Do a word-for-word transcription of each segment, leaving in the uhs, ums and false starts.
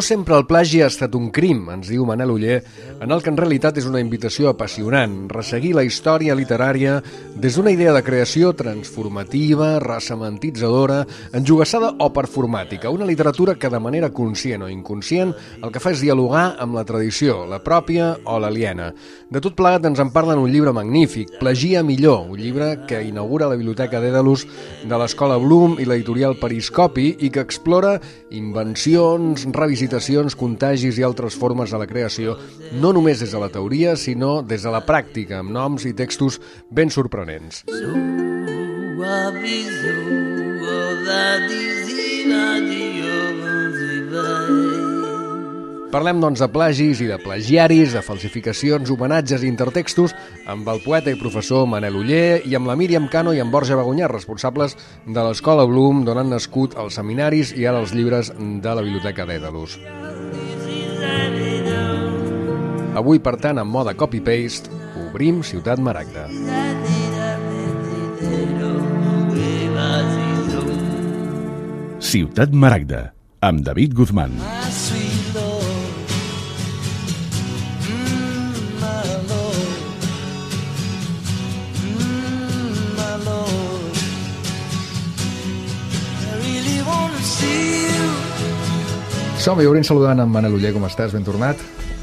No sempre el plagi ha estat un crim, ens diu Manel Oller, en el que en realitat és una invitació apassionant, resseguir la història literària des d'una idea de creació transformativa, ressementitzadora, enjogassada o performàtica, una literatura que de manera conscient o inconscient el que fa és dialogar amb la tradició, la pròpia o l'aliena. De tot plegat ens en parlen un llibre magnífic, Plagia millor, un llibre que inaugura la Biblioteca Dèdalus de l'Escola Bloom i l'editorial Periscopi i que explora invencions, revisitacions, contagis i altres formes de la creació, no només des de la teoria, sinó des de la pràctica, amb noms i textos ben sorprenents. Parlem, doncs, de plagis i de plagiaris, de falsificacions, homenatges i intertextos amb el poeta i professor Manel Oller i amb la Míriam Cano i amb Borja Bagunyà, responsables de l'Escola Bloom, d'on han nascut els seminaris i ara els llibres de la Biblioteca Dèdalus. Avui, per tant, en mode copy-paste, obrim Ciutat Maragda. Ciutat Maragda, amb David Guzmán. Som-hi, obrim saludant amb Manel Oller. Com estàs? Ben tornat?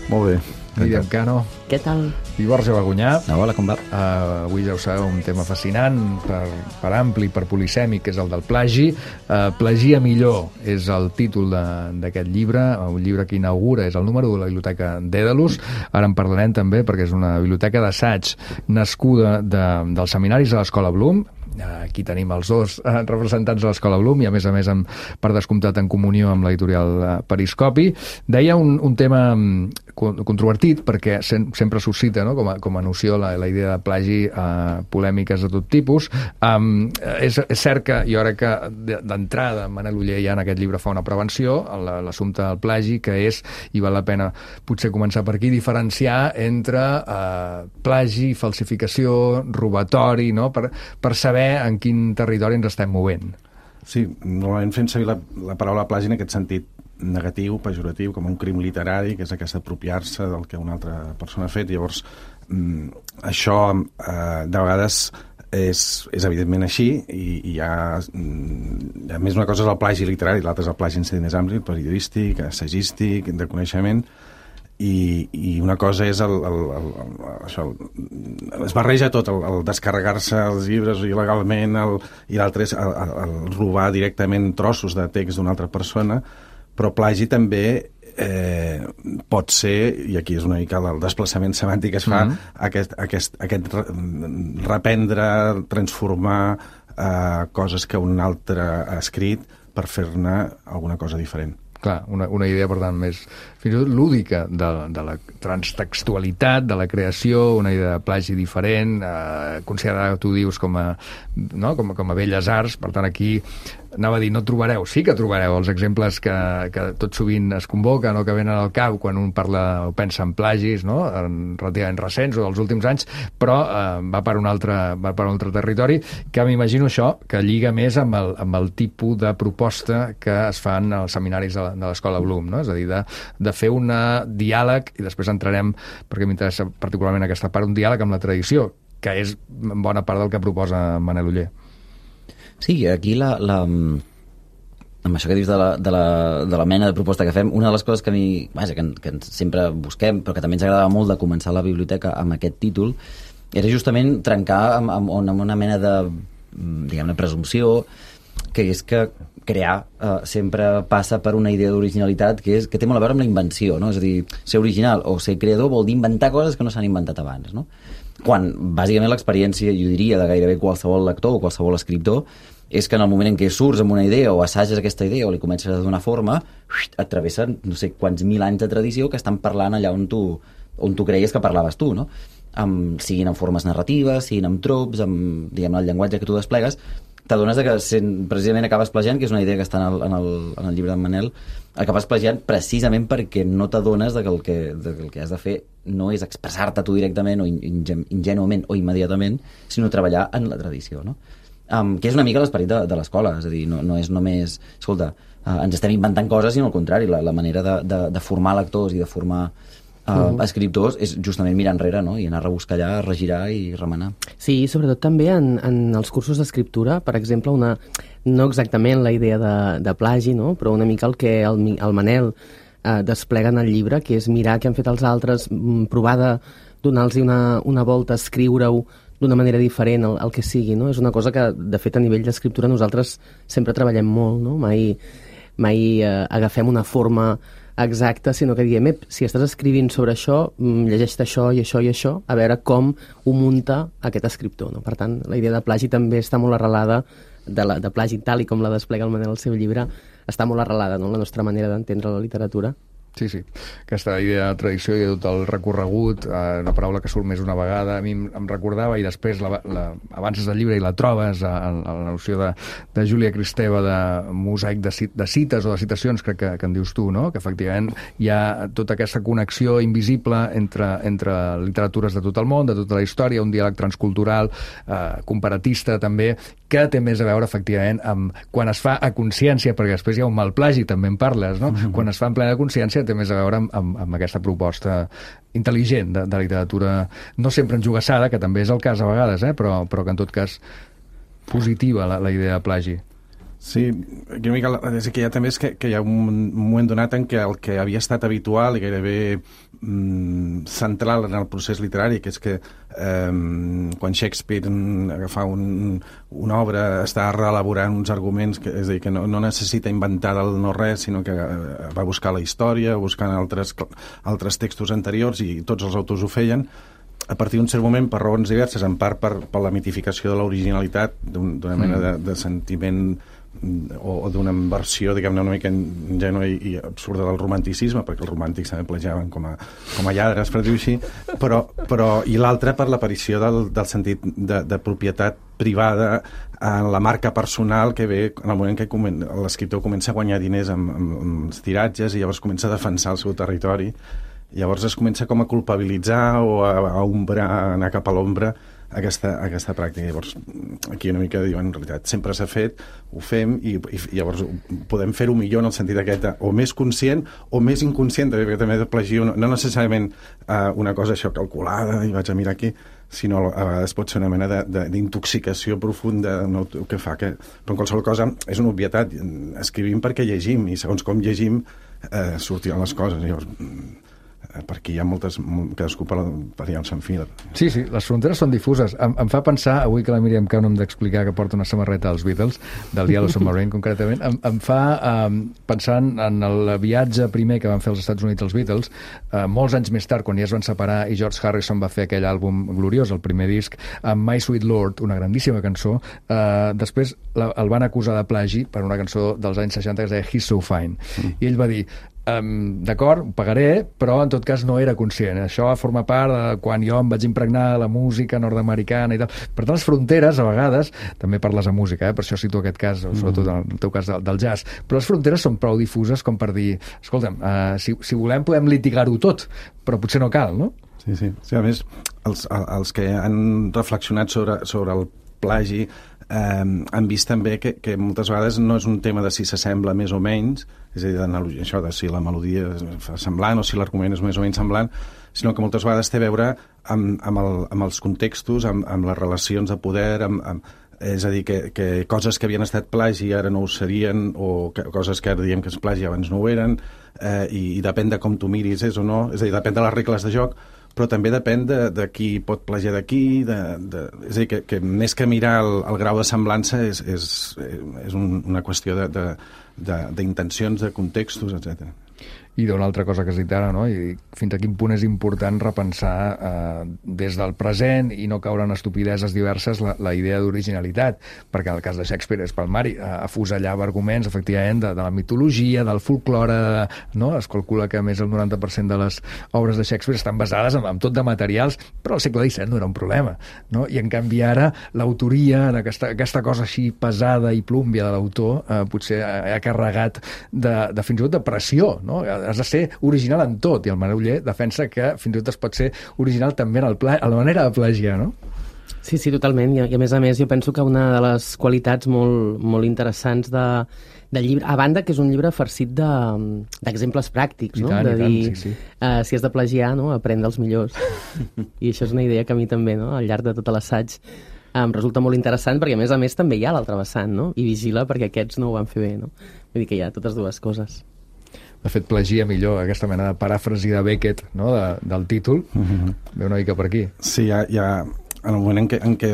Molt bé. Míriam Cano. Què tal? I Borja Bagunyà. Hola, com va? Uh, avui ja ho sabeu, un tema fascinant, per, per ampli, per polisèmic, que és el del plagi. Uh, Plagia millor és el títol d'aquest llibre, un llibre que inaugura, és el número de la Biblioteca Dèdalus. Ara en parlarem també, perquè és una biblioteca d'assaig nascuda de, dels seminaris de l'Escola Bloom. Aquí tenim els dos representants de l'Escola Bloom i, a més a més, amb, per descomptat en comunió amb l'editorial Periscopi. Deia un, un tema controvertit, perquè sempre suscita, no?, com, a, com a noció la, la idea de plagi, eh, polèmiques de tot tipus. Um, és, és cert que jo crec que d'entrada Manel Oller ja en aquest llibre fa una prevenció, l'assumpte del plagi, que és, i val la pena potser començar per aquí, diferenciar entre eh, plagi, falsificació, robatori, no?, per, per saber en quin territori ens estem movent. Sí, normalment fem servir la, la paraula plagi en aquest sentit negatiu, pejoratiu, com un crim literari, que és aquest apropiar-se del que una altra persona ha fet. Llavors, mm, això eh, de vegades és, és evidentment així, i, i hi ha, mm, a més, una cosa és el plagi literari, l'altra és el plagi en sentit més ampli, periodístic, assagístic, de coneixement. I, i una cosa és el, el, el, el, això, el, es barreja tot, el, el descarregar-se els llibres il·legalment, el, i l'altre és el, el, el robar directament trossos de text d'una altra persona, però plagi també eh, pot ser, i aquí és una mica el desplaçament semàntic que es fa, mm-hmm. aquest, aquest, aquest reprendre, transformar eh, coses que un altre ha escrit per fer-ne alguna cosa diferent. Clar, una, una idea, per tant, més fins i tot lúdica de, de la transtextualitat, de la creació, una idea de plagi diferent, eh, considerada, tu dius, com a, no? com, com a belles arts. Per tant, aquí anava a dir, no trobareu, sí que trobareu els exemples que, que tot sovint es convoquen o que venen al cap quan un parla o pensa en plagis, no?, en relativament recents o dels últims anys, però eh, va per un altre, va per un altre territori, que m'imagino això, que lliga més amb el, amb el tipus de proposta que es fan als seminaris de, de l'Escola Bloom, no? És a dir, de, de fer un diàleg, i després entrarem, perquè m'interessa particularment aquesta part, un diàleg amb la tradició, que és en bona part del que proposa Manel Oller. Sí, aquí la, la, amb això que dius de la, de, la, de la mena de proposta que fem, una de les coses que a mi, vaja, que, que sempre busquem, però que també ens agradava molt de començar la biblioteca amb aquest títol, era justament trencar amb, amb, amb una mena de, diguem-ne, presumpció, que és que crear eh, sempre passa per una idea d'originalitat que, és, que té molt a veure amb la invenció, no? És a dir, ser original o ser creador vol dir inventar coses que no s'han inventat abans, no? Quan, bàsicament, l'experiència, jo diria, de gairebé qualsevol lector o qualsevol escriptor, és que en el moment en què surts amb una idea o assages aquesta idea o li comences a donar forma, et travessen no sé quants mil anys de tradició que estan parlant allà on tu, on tu creies que parlaves tu, no? Amb, siguin en formes narratives, siguin amb trops, amb, diguem, el llenguatge que tu desplegues, t'adones que sent, precisament acabes plagiant, que és una idea que està en el, en el, en el llibre d'en Manel, acabes plagiant precisament perquè no t'adones de que el que, de que el que has de fer no és expressar-te tu directament o ingènuament o immediatament, sinó treballar en la tradició, no? Um, que és una mica l'esperit de, de l'escola, és a dir, no, no és només, escolta, uh, ens estem inventant coses, sinó al contrari, la, la manera de, de, de formar lectors i de formar uh, uh-huh. escriptors és justament mirar enrere, no? I anar a rebuscar allà, regirar i remenar. Sí, i sobretot també en, en els cursos d'escriptura, per exemple, una, no exactament la idea de, de plagi, no? Però una mica el que el, el Manel eh, desplega en el llibre, que és mirar què han fet els altres, provar de donar-los una, una volta, escriure-ho d'una manera diferent, el, el que sigui, no? És una cosa que, de fet, a nivell d'escriptura nosaltres sempre treballem molt, no? Mai, mai eh, agafem una forma exacta, sinó que diem, si estàs escrivint sobre això, llegeix-te això i això i això, a veure com ho munta aquest escriptor, no? Per tant, la idea de plagi també està molt arrelada, de, la, de plagi tal i com la desplega el Manel al seu llibre, està molt arrelada, no? La nostra manera d'entendre la literatura. Sí, sí. Aquesta idea de tradició i tot el recorregut, eh, una paraula que surt més una vegada, a mi em recordava, i després la, la, avances del llibre i la trobes, a, a, a la noció de, de Júlia Kristeva, de mosaic de, de cites o de citacions, crec que, que en dius tu, no? Que efectivament hi ha tota aquesta connexió invisible entre, entre literatures de tot el món, de tota la història, un diàleg transcultural, eh, comparatista també, que té més a veure, efectivament, amb quan es fa a consciència, perquè després hi ha un mal plagi, també en parles, no? Mm-hmm. Quan es fa en plena consciència té més a veure amb, amb, amb aquesta proposta intel·ligent de, de literatura, no sempre enjugassada, que també és el cas a vegades, eh? però, però que en tot cas positiva la, la idea de plagi. Sí, una mica, és que hi ha també és que, que hi ha un moment donat en què el que havia estat habitual i gairebé mm, central en el procés literari, que és que eh, quan Shakespeare agafa un, una obra està reelaborant uns arguments, que, és a dir, que no, no necessita inventar del no-res, sinó que eh, va buscar la història, buscant altres, altres textos anteriors, i tots els autors ho feien, a partir d'un cert moment, per raons diverses, en part per, per la mitificació de l'originalitat, d'una un, mena de, de sentiment o, o d'una versió, diguem-ne, una mica ingènua i, i absurda del romanticisme, perquè els romàntics també plagiaven com a, com a lladres, per dir-ho així, però, però, i l'altra per l'aparició del, del sentit de, de propietat privada en la marca personal que ve en el moment que comen, l'escriptor comença a guanyar diners amb, amb, amb els tiratges i llavors comença a defensar el seu territori. Llavors es comença com a culpabilitzar o a, a ombrar, a anar cap a l'ombra aquesta, aquesta pràctica. Llavors aquí una mica diuen, en realitat, sempre s'ha fet, ho fem i, i llavors podem fer-ho millor en el sentit aquest, o més conscient o més inconscient, perquè també de plagio, no, no necessàriament uh, una cosa això calculada i vaig a mirar aquí, sinó a vegades pot ser una mena d'intoxicació profunda no, que fa que... Però en qualsevol cosa és una obvietat, escrivim perquè llegim i segons com llegim eh, sortiran les coses. Llavors perquè hi ha moltes, cadascú per, per allà on s'enfila. Sí, sí, les fronteres són difuses. Em, em fa pensar, avui que la Míriam Cau no hem d'explicar que porta una samarreta dels Beatles, del Yellow Submarine concretament, em, em fa um, pensar en el viatge primer que van fer als Estats Units els Beatles, uh, molts anys més tard, quan ja es van separar i George Harrison va fer aquell àlbum gloriós, el primer disc, amb My Sweet Lord, una grandíssima cançó, uh, després la, el van acusar de plagi per una cançó dels anys seixanta que es deia He's So Fine. Mm. I ell va dir, Um, d'acord, ho pagaré, però en tot cas no era conscient. Això forma part de quan jo em vaig impregnar de la música nord-americana i tal. Per tant, les fronteres, a vegades, també parles de música, eh? Per això cito aquest cas, mm. sobretot en el teu cas del, del jazz, però les fronteres són prou difuses com per dir, escolta'm, uh, si, si volem podem litigar-ho tot, però potser no cal, no? Sí, sí. sí a més, els, els que han reflexionat sobre, sobre el plagi eh, han vist també que, que moltes vegades no és un tema de si s'assembla més o menys, és a dir, això de si la melodia fa semblant o si l'argument és més o menys semblant, sinó que moltes vegades té a veure amb, amb, el, amb els contextos, amb, amb les relacions de poder, amb, amb, és a dir, que, que coses que havien estat plagi ara no ho serien, o que, coses que ara diem que és plagi abans no ho eren, eh, i, i depèn de com tu miris és o no, és a dir, depèn de les regles de joc, però també depèn de, de qui pot plagiar d'aquí, de, de, és a dir, que, que més que mirar el, el grau de semblança és, és, és un, una qüestió d'intencions, de, de, de contextos, etcètera. I d'una altra cosa que has dit ara, no? I fins a quin punt és important repensar eh, des del present i no caure en estupideses diverses la, la idea d'originalitat, perquè en el cas de Shakespeare és palmari, eh, afusellava arguments, efectivament, de, de la mitologia, del folklore, no? Es calcula que més del noranta per cent de les obres de Shakespeare estan basades en, en tot de materials, però al segle disset no era un problema, no? I en canvi ara l'autoria, aquesta, aquesta cosa així pesada i plúmbia de l'autor, eh, potser ha, ha carregat de, de fins i tot de pressió, no? Has de ser original en tot, i el Manel Oller defensa que fins i tot es pot ser original també en, el pla, en la manera de plagiar, no? Sí, sí, totalment. I, I a més a més jo penso que una de les qualitats molt, molt interessants de, del llibre, a banda que és un llibre farcit d'exemples de, pràctics, no? Tant, de tant, dir, sí, sí. Uh, si has de plagiar, no? Aprèn dels millors. I això és una idea que a mi també, no? Al llarg de tot l'assaig, em resulta molt interessant perquè a més a més també hi ha l'altre vessant, no? I vigila perquè aquests no ho van fer bé, no? Vull dir que hi ha totes dues coses. De fet, plagia millor aquesta mena de paràfrasi de Beckett, no? de, del títol, mm-hmm. ve una mica per aquí. Sí, hi ha, hi ha en el moment en què, en què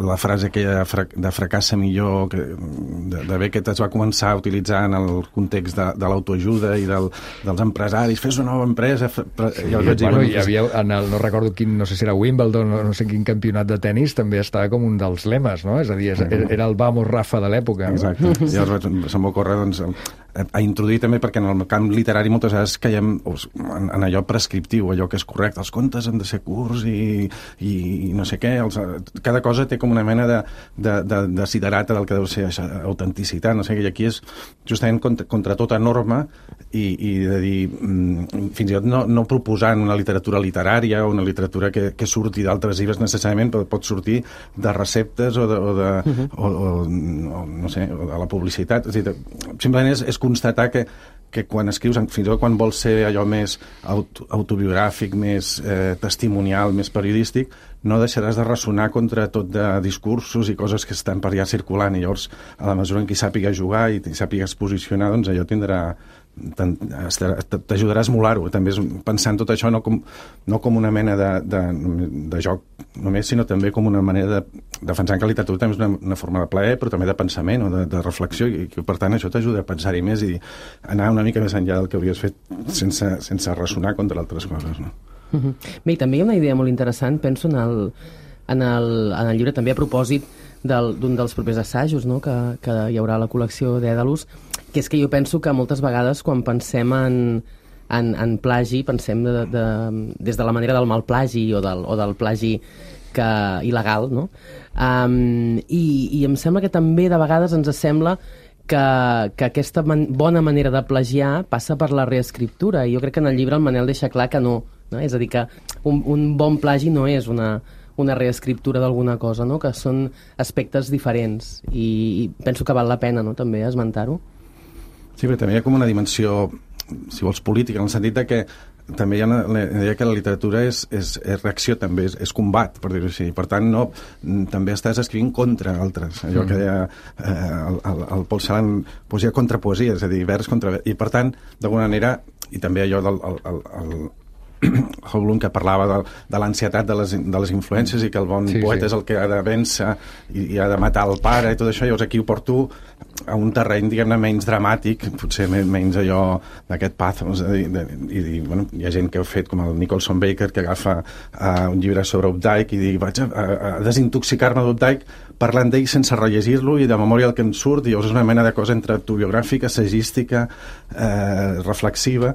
la frase aquella de fracassa millor que, de, de Beckett es va començar a utilitzar en el context de, de l'autoajuda i del, dels empresaris, fes una nova empresa. Sí, ja bueno, dir, bueno, hi havia, en el, no recordo quin, no sé si era Wimbledon, no, no sé quin campionat de tennis, també estava com un dels lemes, no? És a dir, és, era el Vamos Rafa de l'època. Exacte. Llavors se'm va ocórrer, doncs, a introduir també, perquè en el camp literari moltes vegades caiem en, en allò prescriptiu, allò que és correcte. Els contes han de ser curts i, i, i no sé què. Els, cada cosa té com una mena de, de, de, de siderata del que deu ser autenticitat. No sé, i aquí és justament contra, contra tota norma i, i de dir, fins i tot no, no proposant una literatura literària o una literatura que, que surti d'altres llibres necessàriament, però pot sortir de receptes o de, o de, uh-huh. o, o, o, no sé, o de la publicitat. És dir, simplement és, és constatar que, que quan escrius, fins i tot quan vols ser allò més auto, autobiogràfic, més eh, testimonial, més periodístic, no deixaràs de ressonar contra tot de discursos i coses que estan per allà circulant, i llavors, a la mesura en què sàpiga jugar i sàpigues posicionar, doncs allò tindrà t'ajudarà a esmolar-ho. També és pensar en tot això no com, no com una mena de, de, de joc només, sinó també com una manera de defensar que la literatura també és una, una forma de plaer, però també de pensament o de, de reflexió, i que per tant això t'ajuda a pensar-hi més i anar una mica més enllà del que hauries fet sense, sense ressonar contra altres coses, no? Bé, i també hi ha una idea molt interessant, penso en el, en el, en el llibre també a propòsit d'un del, dels propers assajos, no? que, que hi haurà a la col·lecció d'Èdalus, que és que jo penso que moltes vegades quan pensem en, en, en plagi, pensem de, de, des de la manera del mal plagi o del, o del plagi que, il·legal, no? Um, i, i em sembla que també de vegades ens sembla que, que aquesta man, bona manera de plagiar passa per la reescriptura, i jo crec que en el llibre el Manel deixa clar que no, no? És a dir, que un, un bon plagi no és una, una reescriptura d'alguna cosa, no? Que són aspectes diferents, i, i penso que val la pena, no?, també esmentar-ho. Sí, però també hi ha com una dimensió, si vols, política, en el sentit de que també hi ha una idea que la literatura és, és, és reacció, també és, és combat, per dir-ho així. Per tant, no, també estàs escrivint contra altres. Allò mm. que deia eh, el, el, el Paul Celan, poesia contra poesia, és a dir, vers contra vers. I per tant, d'alguna manera, i també allò del el, el, el, Howlund, que parlava de, de l'ansietat de, les, de les influències i que el bon sí, poeta sí. és el que ha de vèncer i, i ha de matar el pare i tot això. Llavors aquí ho porto a un terreny, diguem-ne, menys dramàtic, potser menys allò d'aquest pathos, i, de, i, i bueno, hi ha gent que ho ha fet, com el Nicholson Baker, que agafa uh, un llibre sobre Updike i diu, vaig a, a, a desintoxicar-me d'Updike parlant d'ell sense rellegir-lo i de memòria el que em surt, i llavors és una mena de cosa entre autobiogràfica, assagística, eh, reflexiva,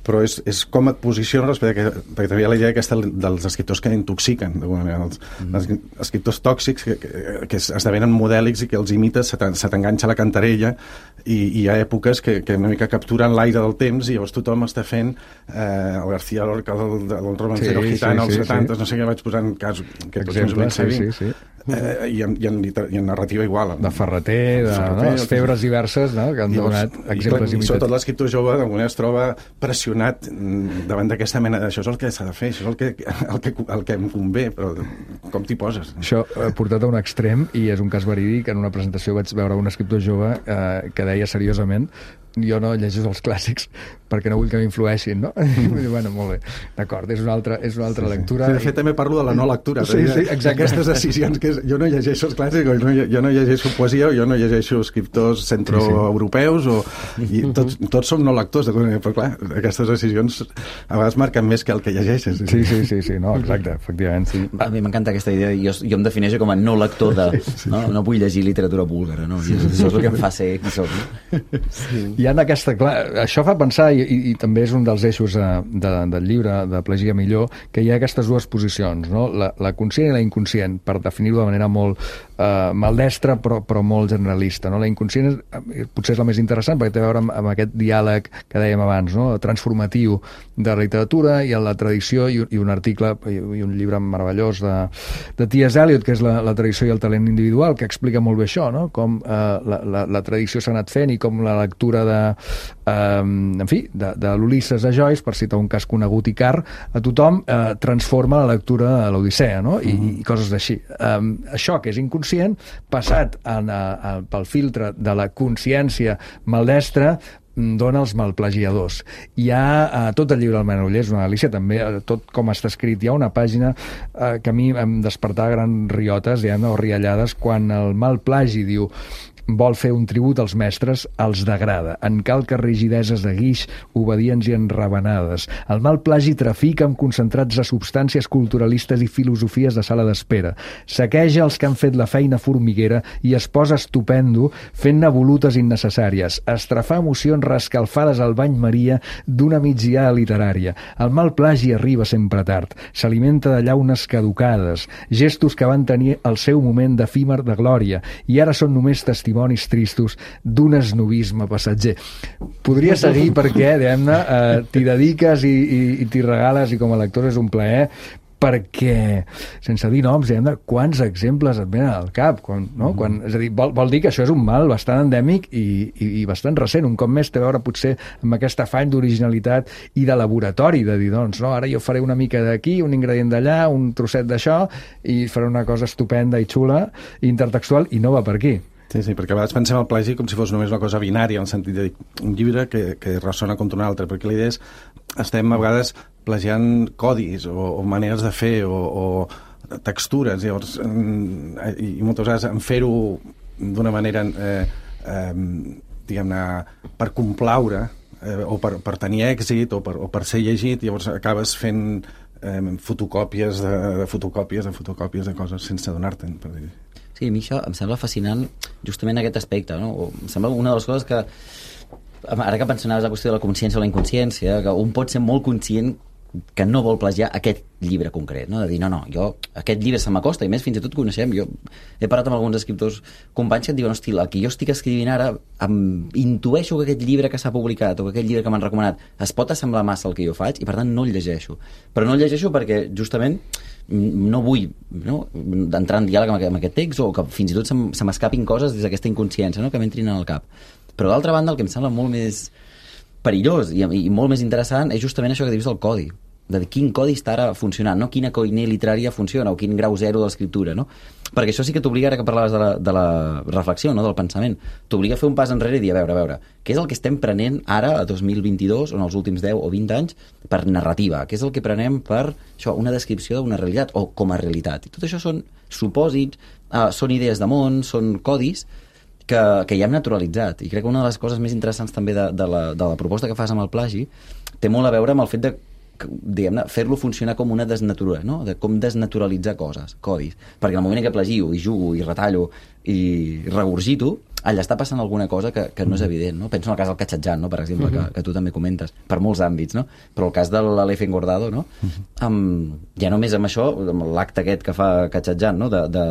però és, és com et posiciones respecte a que, perquè també hi ha la idea aquesta dels escriptors que intoxiquen d'alguna manera, els, mm. els escriptors tòxics que, que, que esdevenen modèlics i que els imites, se t'enganxa la cantarella, i, i hi ha èpoques que, que una mica capturen l'aire del temps, i llavors tothom està fent eh, el García Lorca del, del romancero sí, gitano sí, als sí, setanta, sí. no sé què, vaig posant cas que tots ens ho ben sabim. Sí, sí, sí. Eh, i, en, i, en liter, i en narrativa igual, de Ferreter, de, de Ferreter, no? Les febres diverses, no? Que han donat exemples imitatius. I sobretot l'escriptor jove d'alguna es troba pressionat davant d'aquesta mena d'això és el que s'ha de fer, això és el que, el que, el que em convé, però com t'hi poses? Això eh, portat a un extrem, i és un cas verídic, en una presentació vaig veure un escriptor jove eh, que deia seriosament, jo no llegeixo els clàssics perquè no vull que m'influeixin, no? Mm. Bueno, molt bé, d'acord, és una altra, és una altra sí, lectura. Sí, de fet, també parlo de la no lectura. Sí, sí, exacte. Aquestes decisions que és, jo no llegeixo els clàssics, jo no, jo no llegeixo poesia, jo no llegeixo escriptors centroeuropeus, o, i tots, tots som no lectors, però clar, aquestes decisions a vegades marquen més que el que llegeixes. Sí, sí, sí, sí, no, exacte, efectivament. Sí. A mi m'encanta aquesta idea, jo, jo em defineixo com a no lector de... No, no vull llegir literatura búlgara, no? I això és el que em fa ser qui soc. No? Sí. hi ha aquesta... Clar, això fa pensar, i, i, i també és un dels eixos de, de, del llibre, de Plegir a millor, que hi ha aquestes dues posicions, no? La, la conscient i la inconscient, per definir-ho de manera molt eh, maldestra, però, però molt generalista, no? La inconscient és, potser és la més interessant, perquè té a veure amb, amb aquest diàleg que dèiem abans, no? Transformatiu de la literatura i en la tradició, i, i un article i, i un llibre meravellós de, de T S Eliot, que és la, la tradició i el talent individual, que explica molt bé això, no? Com eh, la, la, la tradició s'ha anat fent i com la lectura de, eh, en fi, de, de l'Ulisses a Joyce, per citar un cas conegut i car, a tothom eh, transforma la lectura de l'Odissea, no? I, mm. i coses així. Eh, això, que és inconscient, passat en, a, a, pel filtre de la consciència maldestra, dona els malplagiadors. Hi ha eh, tot el llibre del Manoller, és una delícia també, eh, tot com està escrit. Hi ha una pàgina eh, que a mi em despertava grans riotes, diguem, o riallades, quan el malplagi diu: vol fer un tribut als mestres, els degrada. En calques rigideses de guix, obedients i enravenades. El mal plagi trafica amb concentrats de substàncies culturalistes i filosofies de sala d'espera. Saqueja els que han fet la feina formiguera i es posa estupendo fent-ne volutes innecessàries. Estrafar emocions rescalfades al bany Maria d'una migdiada literària. El mal plagi arriba sempre tard. S'alimenta de llaunes caducades, gestos que van tenir el seu moment d'efímer de glòria i ara són només testimonis tristos d'un esnovisme passatger. Podria seguir perquè, diguem-ne, eh, t'hi dediques i, i, i t'hi regales, i com a lector és un plaer, perquè, sense dir noms, diguem-ne, quants exemples et venen al cap, quan, no? Quan, és a dir, vol, vol dir que això és un mal bastant endèmic i, i, i bastant recent. Un cop més té a veure potser amb aquest afany d'originalitat i de laboratori, de dir, doncs, no, ara jo faré una mica d'aquí, un ingredient d'allà, un trosset d'això, i faré una cosa estupenda i xula, i intertextual, i no va per aquí. Sí, sí, perquè a vegades pensem el plagi com si fos només una cosa binària, en el sentit de dir, un llibre que, que ressona contra un altre, perquè la idea és, estem a vegades plagiant codis o, o maneres de fer o, o textures, llavors, i, i moltes vegades en fer-ho d'una manera, eh, eh, diguem-ne, per complaure eh, o per, per tenir èxit o per, o per ser llegit, llavors acabes fent eh, fotocòpies de, de fotocòpies de fotocòpies de coses sense donar-te'n, per dir. Sí, a mi això em sembla fascinant justament aquest aspecte, no? O em sembla una de les coses que, ara que mencionaves la qüestió de la consciència o la inconsciència, que un pot ser molt conscient que no vol plagiar aquest llibre concret, no? De dir, no, no, jo, aquest llibre se m'acosta, i més fins i tot coneixem, jo he parlat amb alguns escriptors companys que et diuen, hosti, el que jo estic escrivint ara, em intueixo que aquest llibre que s'ha publicat o que aquest llibre que m'han recomanat es pot assemblar massa al que jo faig i per tant no el llegeixo. Però no el llegeixo perquè justament no vull, no, entrar en diàleg amb aquest, amb aquest text, o que fins i tot se, se m'escapin coses des d'aquesta inconsciència, no?, que m'entrin al cap. Però d'altra banda el que em sembla molt més perillós i, i molt més interessant és justament això que dius del codi, de quin codi està ara funcionant, no? Quina coiner literària funciona o quin grau zero de l'escriptura, no? Perquè això sí que t'obliga, ara que parlaves de la, de la reflexió, no?, del pensament, t'obliga a fer un pas enrere i dir, a veure, a veure, què és el que estem prenent ara, a dos mil vint-i-dos, o en els últims deu o vint anys, per narrativa? Què és el que prenem per això, una descripció d'una realitat, o com a realitat? I tot això són supòsits, uh, són idees de món, són codis que, que ja hem naturalitzat. I crec que una de les coses més interessants també de, de, la, de la proposta que fas amb el plagi té molt a veure amb el fet de diguem-ne, fer-lo funcionar com una desnatura, no? De com desnaturalitzar coses, codis, perquè en el moment en què plagio i jugo i retallo i regurgito, allà està passant alguna cosa que, que no és evident, no? Penso en el cas del Catxatjan, no?, per exemple, uh-huh. que, que tu també comentes, per molts àmbits, no? Però el cas de l'Aleph Engordado, no? Uh-huh. Um, ja només amb això, amb l'acte aquest que fa Catxatjan, no?, de, de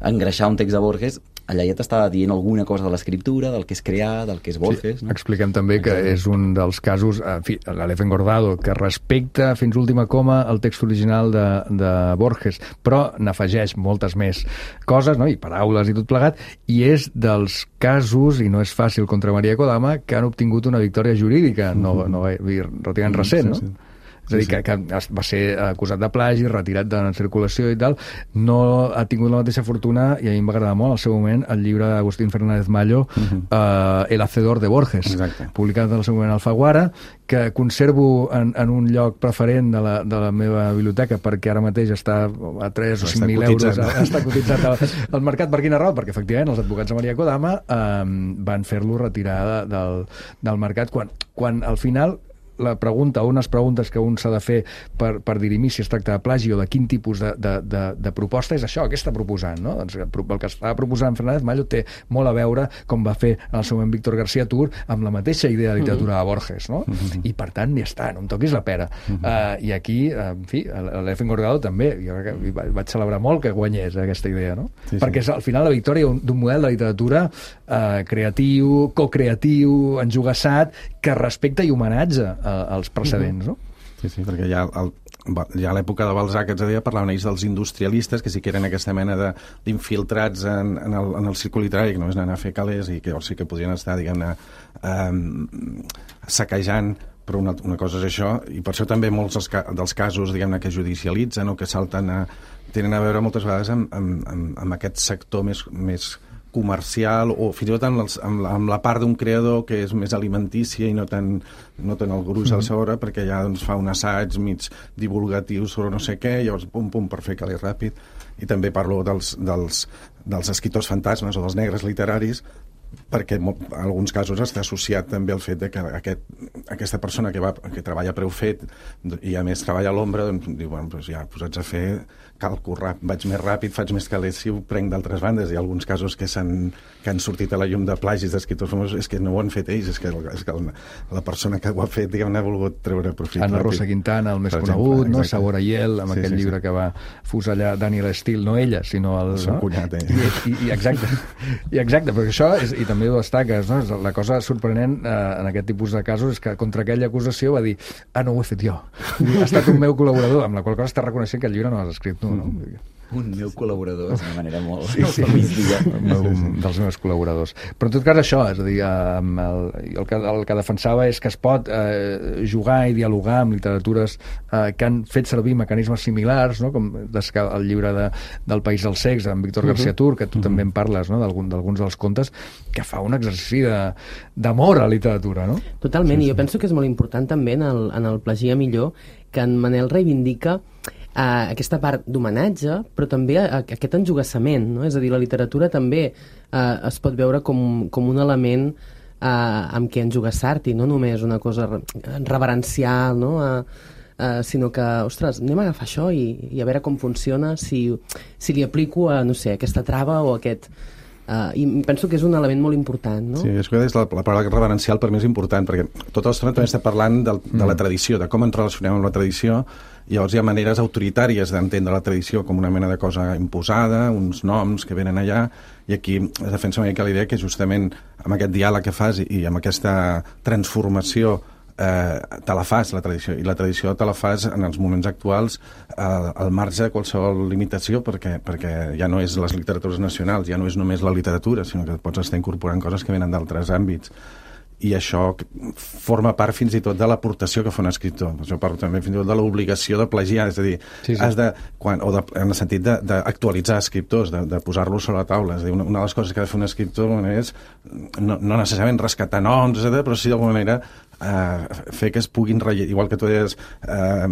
engreixar un text de Borges, allà ja t'estava dient alguna cosa de l'escriptura, del que és crear, del que és Borges. Sí, no? Expliquem també que és un dels casos, en fi, l'Aleph Engordado, que respecta fins última coma el text original de, de Borges, però n'afegeix moltes més coses, no?, i paraules i tot plegat, i és dels casos, i no és fàcil, contra Maria Kodama, que han obtingut una victòria jurídica, no, no, relativament recent, no? Sí, sí. És a dir, que, que va ser acusat de plagi, retirat de la circulació i tal, no ha tingut la mateixa fortuna, i a mi em va agradar molt al seu moment el llibre d'Agustín Fernández Mallo, uh-huh. eh, El Hacedor de Borges, exacte, publicat al seu moment a Alfaguara, que conservo en, en un lloc preferent de la, de la meva biblioteca, perquè ara mateix està a tres o cinc mil euros, està cotitzat al, al mercat. Per quina raó? Perquè efectivament els advocats de Maria Kodama eh, van fer-lo retirar del, del mercat, quan, quan al final la pregunta, unes preguntes que un s'ha de fer per, per dirimir si es tracta de plagi o de quin tipus de, de, de, de proposta, és això, què està proposant, no? Doncs el que estava proposant Fernández Mallo té molt a veure, com va fer en el seu moment Víctor García Tur, amb la mateixa idea de literatura de Borges, no? Mm-hmm. I per tant, ja està, no em toquis la pera. Mm-hmm. uh, I aquí, uh, en fi, l'Efen Gorgado també, jo vaig celebrar molt que guanyés aquesta idea, no? Sí, sí. Perquè és al final la victòria d'un model de literatura eh, creatiu, co-creatiu, enjugassat, que respecta i homenatge eh, als precedents, no? Sí, sí, perquè ja, el, ja a l'època de Balzac, que ens deia, parlaven ells dels industrialistes, que sí que eren aquesta mena d'infiltrats en, en, el, en el circuit literari, que només anaven a fer calés i que llavors sí que podien estar, diguem-ne, eh, saquejant, però una, una cosa és això, i per això també molts dels, dels casos, diguem-ne, que judicialitzen o que salten a, tenen a veure moltes vegades amb, amb, amb, amb aquest sector més, més comercial o fins i tot amb, els, amb, la, amb la part d'un creador que és més alimentícia i no tan, no tan el gruix al sobre, perquè ja doncs, fa un assaig mig divulgatiu sobre no sé què, llavors pum pum per fer calés ràpid. I també parlo dels, dels, dels escriptors fantasmes o dels negres literaris, perquè en alguns casos està associat també al fet de que aquest, aquesta persona que, va, que treballa a preu fet i a més treballa a l'ombra, doncs diu, bueno, doncs ja posats a fer calco ràpid, vaig més ràpid, faig més calés si ho prenc d'altres bandes. Hi ha alguns casos que, que han sortit a la llum de plagis d'escriptors famosos, és que no ho han fet ells, és que, és que la, la persona que ho ha fet, diguem-ne, ha volgut treure profit. Ana ràpid. Rosa Quintana, el més conegut, no? Sabor Aiel, amb sí, aquell sí, llibre sí. que va fusellar Daniel Steele, no ella, sinó el... El seu no? cunyat, eh? I, i, i exacte, i exacte, perquè això, és, i també ho destaques, no? La cosa sorprenent eh, en aquest tipus de casos és que contra aquella acusació va dir, ah, no ho he fet jo, ha estat un meu col·laborador, amb la qual cosa està reconeixent que el llibre no l'has escrit tu, no? Mm. Un meu col·laborador, és una manera molt... Sí, sí, un dels meus col·laboradors. Però en tot cas això, és a dir, el, el, que, el que defensava és que es pot eh, jugar i dialogar amb literatures eh, que han fet servir mecanismes similars, no? Com el llibre de, del País dels Cecs, amb Víctor García Tur, que tu uh-huh. també en parles, no? d'alguns dels contes, que fa un exercici d'amor a la literatura, no? Totalment, sí, i sí. jo penso que és molt important també en el, en el Plagia Millor que en Manel reivindica Uh, aquesta part d'homenatge, però també uh, aquest enjugassament, no? És a dir, la literatura també uh, es pot veure com, com un element uh, amb què enjugassar-t'hi, no només una cosa reverencial, no? Uh, uh, sinó que, ostres, anem a agafar això i, i a veure com funciona, si, si li aplico a, no sé, aquesta trava o aquest... Uh, i penso que és un element molt important, no? Sí, és que és la, la paraula reverencial per mi és important, perquè tota l'estona també està parlant del, de la tradició, de com ens relacionem amb la tradició, i llavors hi ha maneres autoritàries d'entendre la tradició com una mena de cosa imposada, uns noms que venen allà, i aquí es defensa una mica la idea que justament amb aquest diàleg que fas i, i amb aquesta transformació eh, te la fas, la tradició, i la tradició te la fas en els moments actuals eh, al marge de qualsevol limitació, perquè, perquè ja no és les literatures nacionals, ja no és només la literatura, sinó que pots estar incorporant coses que venen d'altres àmbits. I això forma part fins i tot de l'aportació que fa un escriptor. Jo parlo també fins i tot de l'obligació de plagiar, és a dir, sí, sí. has de, quan, o de, en el sentit d'actualitzar escriptors, de, de posar-los sobre la taula. És a dir, una, una de les coses que ha de fer un escriptor és no, no necessàriament rescatar noms, etcètera, però sí d'alguna manera eh, fer que es puguin rellevar. Igual que tu deies, eh,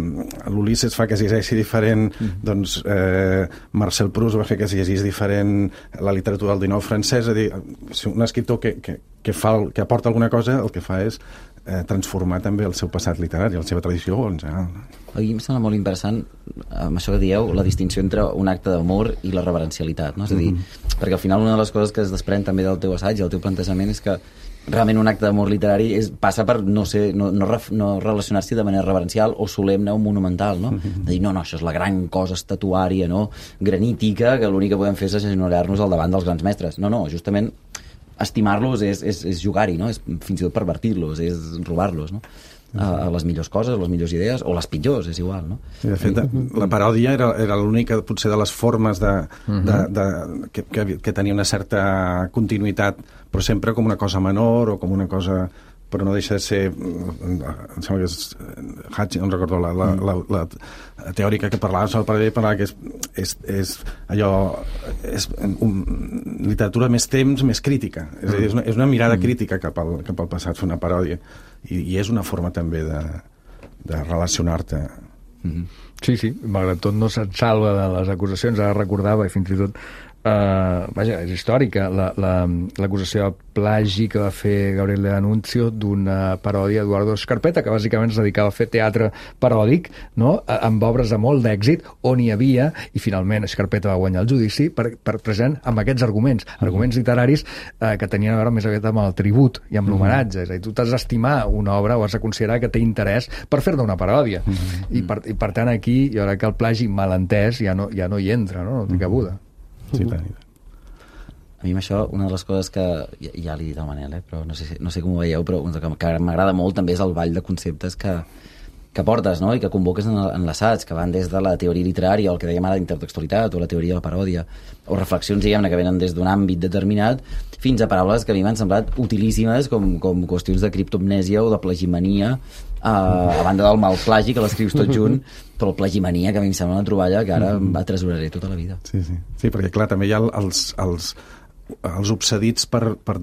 l'Ulisses fa que es llegeixi diferent, mm. doncs eh, Marcel Proust va fer que es llegís diferent la literatura del dinou francès. És a dir, si un escriptor que, que, que, fa, que aporta alguna cosa, el que fa és eh, transformar també el seu passat literari, la seva tradició en general. A mi em sembla molt interessant, amb això que dieu, la distinció entre un acte d'amor i la reverencialitat, no? És a dir, mm-hmm. perquè al final una de les coses que es desprèn també del teu assaig i del teu plantejament és que realment un acte d'amor literari és, passa per no, ser, no, no, no relacionar-s'hi de manera reverencial o solemne o monumental, no? Mm-hmm. De dir, no, no, això és la gran cosa estatuària, no? Granítica, que l'únic que podem fer és agenollar-nos al davant dels grans mestres. No, no, justament estimar-los és, és, és jugar-hi, no? És fins i tot pervertir-los, és robar-los, no? A, a les millors coses, les millors idees, o les pitjors, és igual, no? Sí, de fet, la paròdia era, era l'única, potser, de les formes de, de, de, que, que, que tenia una certa continuïtat, però sempre com una cosa menor o com una cosa... però no deixa de ser, em sembla que és Hatch, no recordo, la, la, la, la teòrica que parlava sobre el parell, parlava que és, és, és allò, és un, literatura més temps, més crítica. És a dir, és una, és una mirada crítica cap al, cap al passat, fer una paròdia. I, i és una forma també de, de relacionar-te. Mm-hmm. Sí, sí, malgrat tot no se't salva de les acusacions. Ara recordava, i fins i tot Uh, vaja, és històrica, l'acusació la, la, de plagi que va fer Gabriele D'Annunzio d'una paròdia d'Eduardo Scarpetta, que bàsicament es dedicava a fer teatre paròdic, no? Amb obres de molt d'èxit, on hi havia, i finalment Scarpetta va guanyar el judici, per, per present amb aquests arguments, arguments literaris eh, que tenien a veure més aviat amb el tribut i amb l'homenatge. És a dir, tu t'has d'estimar una obra o has de considerar que té interès per fer-ne una paròdia. Mm-hmm. I, per, I per tant aquí jo crec que el plagi malentès ja no, ja no hi entra, no? No té cabuda. Sí, tant. A mi això, una de les coses que ja, ja li he dit al Manel, eh, però no sé, no sé com ho veieu, però una que, que m'agrada molt també és el ball de conceptes que, que portes, no? I que convoques en, en l'assaig, que van des de la teoria literària, o el que dèiem ara d'intertextualitat, o la teoria de la paròdia, o reflexions, diguem-ne, que venen des d'un àmbit determinat, fins a paraules que a mi m'han semblat utilíssimes, com, com qüestions de criptomnèsia o de plagimania, uh, a banda del mal plagi, que l'escrius tot junt, però el plagimania, que a mi em sembla una troballa que ara atresoraré tota la vida. Sí, sí. Sí, perquè clar, també hi ha els, els, els obsedits per, per,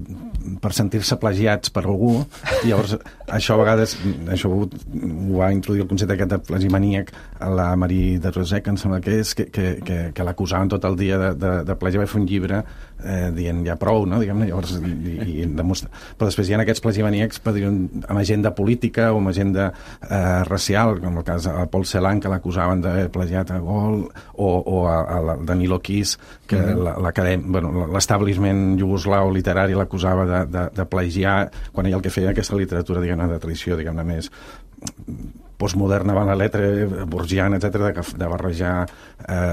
per sentir-se plagiats per algú, i llavors això a vegades, això ho, ho va introduir el concepte aquest de plagimaníac a la Marie de Rosec, em sembla que és, que, que, que, que l'acusaven tot el dia de, de, de plagiar, va fer un llibre eh, dient ja prou, no? Diguem-ne, llavors, i, i demostra... però després hi ha aquests plagimaníacs amb agenda política o amb agenda eh, racial, com el cas de Paul Celan, que l'acusaven d'haver plagiat a Gol, o, o a, a Danilo Kiss, que mm-hmm. l'acadèmia, bueno, l'establishment iugoslau literari l'acusava de, de, de plagiar, quan ell el que feia aquesta literatura, diguem-ne, de tradició, diguem-ne, més postmoderna, van la letra, borgiana, etcètera, de, de barrejar eh,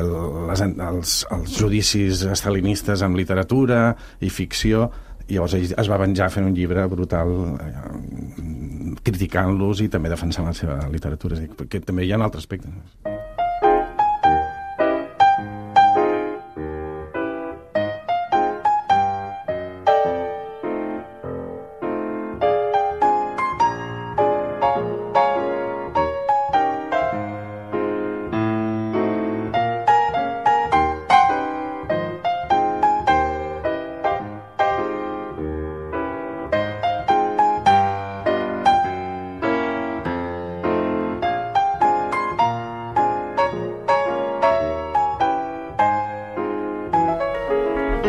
les, els, els judicis estalinistes amb literatura i ficció, i llavors ell es va venjar fent un llibre brutal eh, criticant-los i també defensant la seva literatura, perquè també hi ha un altre aspecte.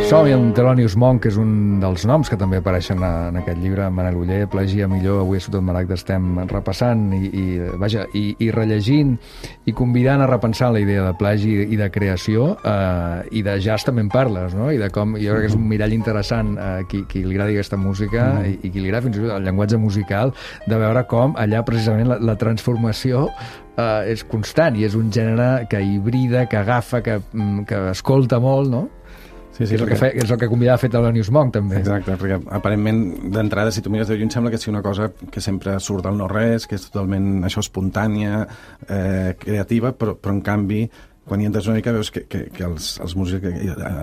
Som-hi amb Thelonious Monk, que és un dels noms que també apareixen en aquest llibre. Manel Oller, Plagia millor, avui a Ciutat Maragda estem repassant i, i, vaja, i, i rellegint i convidant a repensar la idea de plagi i de creació, eh, i de jazz també en parles, no? I de com, jo crec que és un mirall interessant a eh, qui, qui li agradi aquesta música mm. i, i qui li agrada fins i tot el llenguatge musical, de veure com allà precisament la, la transformació eh, és constant i és un gènere que hibrida, que agafa, que, que escolta molt, no? Sí, sí, és, el que fe, és el que convidava a fer Thelonious Monk, també. Exacte, perquè aparentment, d'entrada, si tu mires de lluny, sembla que sigui una cosa que sempre surt del no-res, que és totalment, això, espontània, eh, creativa, però, però en canvi, quan hi entres una mica, veus que, que, que els, els músics,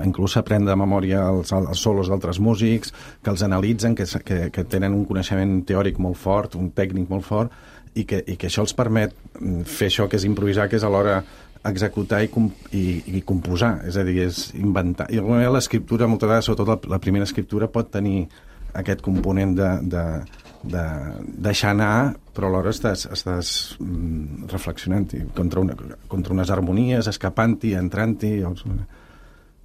inclús s'aprèn de memòria els, els solos d'altres músics, que els analitzen, que, que, que tenen un coneixement teòric molt fort, un tècnic molt fort, i que, i que això els permet fer això que és improvisar, que és alhora executar i, comp i, i composar, és a dir, és inventar. I l'escriptura, moltes vegades, sobretot la, la primera escriptura, pot tenir aquest component de, de, de deixar anar, però alhora estàs, estàs mm, reflexionant contra, una, contra unes harmonies, escapant-hi, entrant-hi.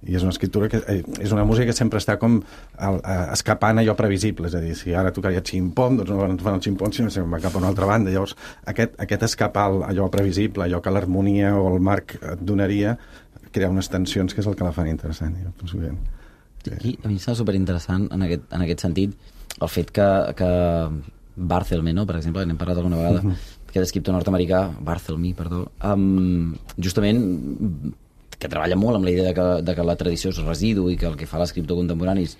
I és una escriptura que eh, és una música que sempre està com el, eh, escapant allò previsible, és a dir, si ara tocaria xim-pom, doncs no fan el xim-pom, sinó que va cap a una altra banda. Llavors, aquest, aquest escapar allò previsible, allò que l'harmonia o el marc et donaria, crea unes tensions que és el que la fan interessant. Jo penso que... Aquí, a mi em sembla superinteressant en aquest, en aquest sentit el fet que, que Barthelme, no? Per exemple, n'hem parlat alguna vegada, uh-huh. aquest escriptor nord-americà, Barthelme, perdó, um, justament que treballa molt amb la idea de que, de que la tradició és residu i que el que fa l'escriptor contemporani és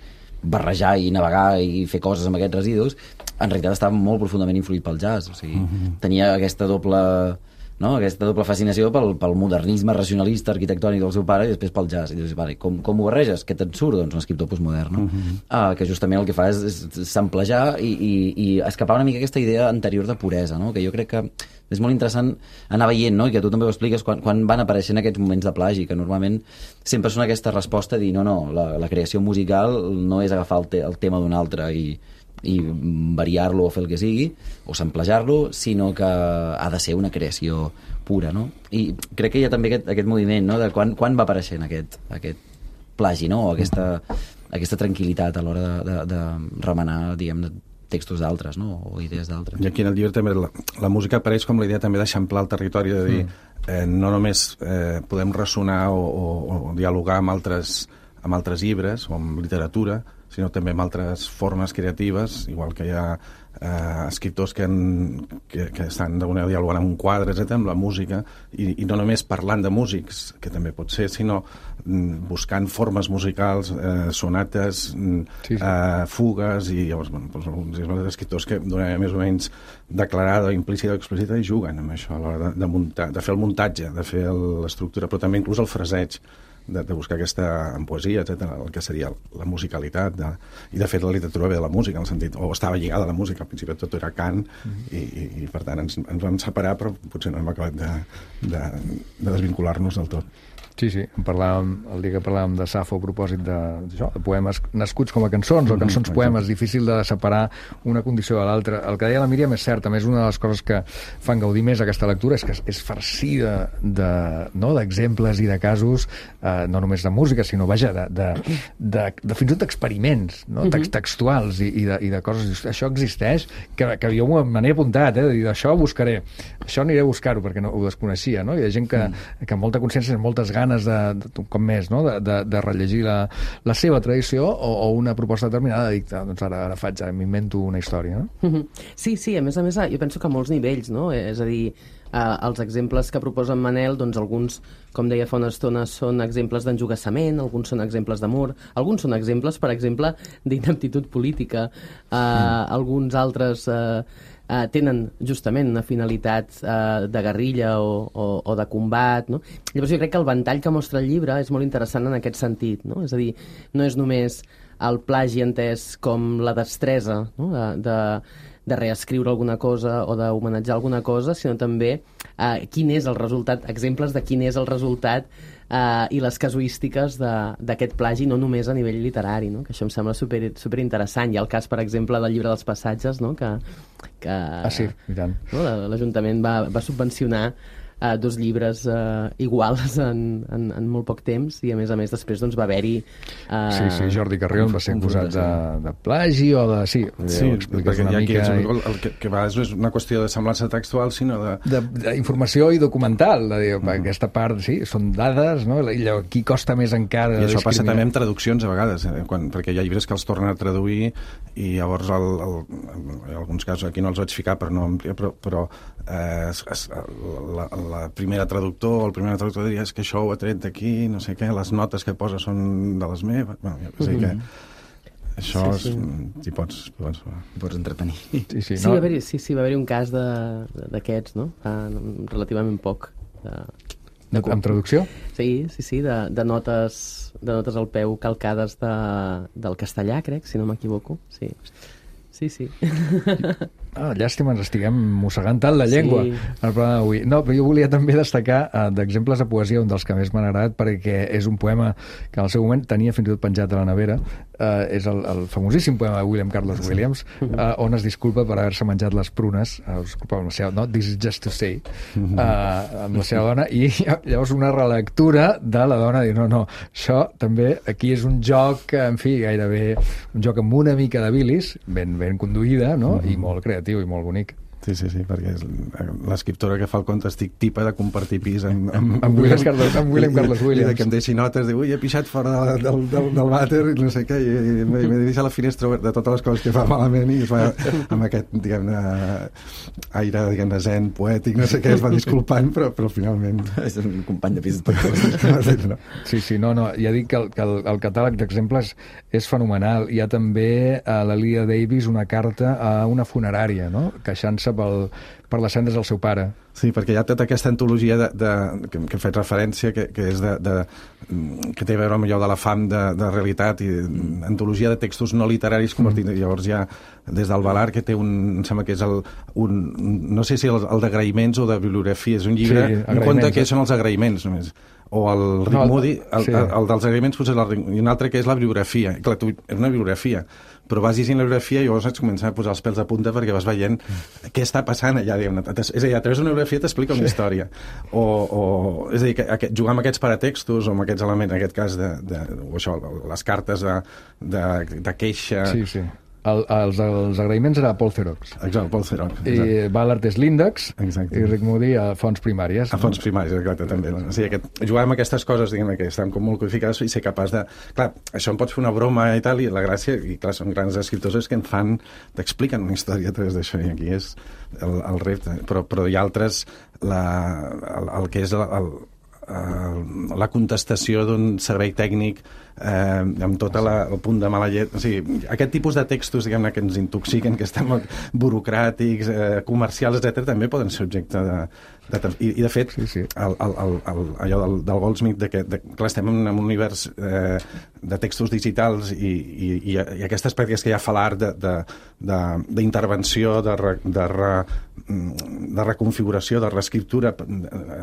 barrejar i navegar i fer coses amb aquests residus, en realitat estava molt profundament influït pel jazz, o sigui, uh-huh. tenia aquesta doble, no? aquesta doble fascinació pel, pel modernisme racionalista arquitectònic del seu pare i després pel jazz. I dius, vale, com, com ho barreges? Què te'n surt? Doncs un escriptor postmodern, no? Uh-huh. uh, que justament el que fa és, és samplejar i, i, i escapar una mica aquesta idea anterior de puresa, no? Que jo crec que és molt interessant anar veient, no? I que tu també ho expliques quan, quan van apareixent aquests moments de plagi, que normalment sempre són aquesta resposta de dir, no, no, la, la creació musical no és agafar el, te, el tema d'un altre i, i variar-lo o fer el que sigui, o samplejar-lo, sinó que ha de ser una creació pura, no? I crec que hi ha també aquest, aquest moviment, no? De quan, quan va apareixent aquest, aquest plagi, no? O aquesta, aquesta tranquil·litat a l'hora de, de, de remenar, diguem-ne, textos d'altres, no? O idees d'altres. I aquí en el llibre també la, la música apareix com la idea també d'eixamplar el territori, de dir, mm. eh, no només eh, podem ressonar o, o, o dialogar amb altres, amb altres llibres o amb literatura, sinó també amb altres formes creatives, igual que hi ha eh, escriptors que, han, que, que estan d'alguna manera dialogant amb un quadre, etcètera, amb la música, i, i no només parlant de músics, que també pot ser, sinó mm, buscant formes musicals, eh, sonates, mm, sí, sí. Eh, fugues, i llavors, bueno, doncs, alguns escriptors que d'una manera més o menys declarada, implícita o explícita, i juguen amb això a l'hora de, de, muntar, de fer el muntatge, de fer l'estructura, però també inclús el fraseig, De, de buscar aquesta en poesia, etcètera, el que seria la musicalitat, de, i de fet la literatura ve de la música, en el sentit, o estava lligada a la música, al principi tot era cant, mm-hmm. i, i, i per tant ens, ens vam separar, però potser no hem acabat de, de, de desvincular-nos del tot. Sí, sí, parlàvem, el dia que parlàvem de Safo a propòsit de, això, de poemes nascuts com a cançons, o cançons mm, poemes, difícil de separar una condició de l'altra. El que deia la Míriam és cert, a més una de les coses que fan gaudir més aquesta lectura és que és farcida de, no, d'exemples i de casos, eh, no només de música, sinó, vaja, de, de, de, de fins i tot d'experiments, no? Text, textuals i, i, de, i de coses. Això existeix, que, que jo me n'he apuntat, eh, de dir, això ho buscaré, això aniré a buscar-ho perquè no, ho desconeixia, no? Hi ha gent que, mm. que amb molta consciència, amb moltes ganes ganes de, de, com més, no? de, de, de rellegir la, la seva tradició o, o una proposta determinada de dir, doncs ara, ara faig, m'invento una història, no? Sí, sí, a més a més, jo penso que a molts nivells, no? És a dir, eh, els exemples que proposa en Manel, doncs alguns, com deia fa una estona, són exemples d'enjogassament, alguns són exemples d'amor, alguns són exemples, per exemple, d'inaptitud política, eh, mm. alguns altres... Eh, Uh, tenen justament una finalitat uh, de guerrilla o, o, o de combat, no? Llavors jo crec que el ventall que mostra el llibre és molt interessant en aquest sentit, no? És a dir, no és només el plagi entès com la destresa, no? de, de, de reescriure alguna cosa o d'homenatjar alguna cosa, sinó també uh, quin és el resultat, exemples de quin és el resultat Uh, i les casuístiques d'aquest plagi, no només a nivell literari, no? Que això em sembla super, super interessant. Hi ha el cas, per exemple, del llibre dels passatges, no? que, que ah, sí, i tant. No? L'Ajuntament va, va subvencionar uh, dos llibres uh, iguals en, en, en molt poc temps, i a més a més després doncs, va haver-hi... Uh, sí, sí, Jordi Carrion va ser acusat de, de plagi o de... Sí, sí perquè una mica... És, el, el que, que va, no és una qüestió de semblança textual, sinó de... D'informació i documental, de dir, mm. aquesta part, sí, són dades, no? I aquí costa més encara... I això passa també amb traduccions a vegades, eh? Quan, perquè hi ha llibres que els tornen a traduir i llavors el, el, en alguns casos aquí no els vaig ficar per no ampliar, però, però eh, la, la primera traductor o el primer traductor diria és que això ho ha tret d'aquí, no sé què, les notes que posa són de les meves, bueno, ja sé que això sí, sí. És, t'hi pots, pots, pots entretenir. Sí, sí, sí, no? va haver-hi sí, sí, va haver un cas d'aquests, no? Fa relativament poc. De, de, amb traducció? Sí, sí, sí, de, de, notes, de notes al peu calcades de, del castellà, crec, si no m'equivoco. Sí, sí, sí. Ah, llàstima, ens estiguem mossegant tant la llengua sí. en el programa d'avui. No, però jo volia també destacar uh, d'exemples de poesia, un dels que més m'han agradat, perquè és un poema que en el seu moment tenia fins i tot penjat a la nevera. Uh, és el, el famosíssim poema de William Carlos Williams, uh, on es disculpa per haver-se menjat les prunes, uh, es disculpa amb la seva, no? This is just to say, uh, amb la seva dona, i llavors una relectura de la dona dir, no, no, això també aquí és un joc, en fi, gairebé un joc amb una mica de bilis, ben, ben conduïda, no? I molt creatiu i molt bonic. Sí, sí, sí, perquè l'escriptora que fa el conte estic tipa de compartir pis amb, amb, amb, William, Carlos, amb William Carlos Williams. I que em deixi notes, diu, ui, he pixat fora del, del, del vàter i no sé què, i m'he deixat la finestra oberta de totes les coses que fa malament i es va, amb aquest, diguem-ne, aire, diguem-ne, zen, poètic, no sé què, es va disculpant, però, però finalment... És un company de pis. No. Sí, sí, no, no, ja dic que el, que el, el catàleg d'exemples és fenomenal. Hi ha també a la Lia Davis una carta a una funerària, no?, queixant-se pel, per les cendres del seu pare. Sí, perquè hi ha tota aquesta antologia de, de, que, que hem fet referència, que, que és de, de, que té a veure amb allò de la fam de, de realitat i mm. antologia de textos no literaris convertits. Mm. Llavors hi ha des del Valar, que té un, em sembla que és el, un, no sé si el, el d'agraïments o de bibliografia, és un llibre, sí, un conte que són els agraïments només, o el Rick No, el- Moody, el, sí. el, el dels agraïments potser és el Rick, i un altre que és la bibliografia. Clar, tu, és una bibliografia, però vas llegint la bibliografia i llavors et començar a posar els pèls a punta perquè vas veient què està passant allà. Diguem, és a dir, a través d'una bibliografia t'explica una història. O, o, és a dir, que, que, jugar amb aquests paratextos o amb aquests elements, en aquest cas, de, de, o això, les cartes de, de, de queixa... Sí, sí. El, els, els agraïments era Paul Cerox. Exacte, Paul Cerox. I Ballard és l'índex Exacte. i Rick Moody a fonts primàries. A fons primaris, exacte, també. O sigui, aquest, jugar amb aquestes coses, diguem que estan com molt codificades i ser capaç de... Clar, això em pots fer una broma i tal, i la gràcia, i clar, són grans escriptors, és que en fan, t'expliquen una història a través d'això, i aquí és el, el repte. Però, però hi ha altres, la, el, el que és el, el, el, la contestació d'un servei tècnic eh, amb tot la, el punt de mala llet. O sigui, aquest tipus de textos, diguem-ne, que ens intoxiquen, que estan molt burocràtics, eh, comercials, etcètera, també poden ser objecte de... de i, I, de fet, Sí, sí. el, el, el, el, allò del, del Goldsmith, de que, de, clar, estem en un univers eh, de textos digitals i, i, i, i aquestes pràctiques que hi ha a falar d'intervenció, de, de, de, de, de, re, de reconfiguració, de reescriptura,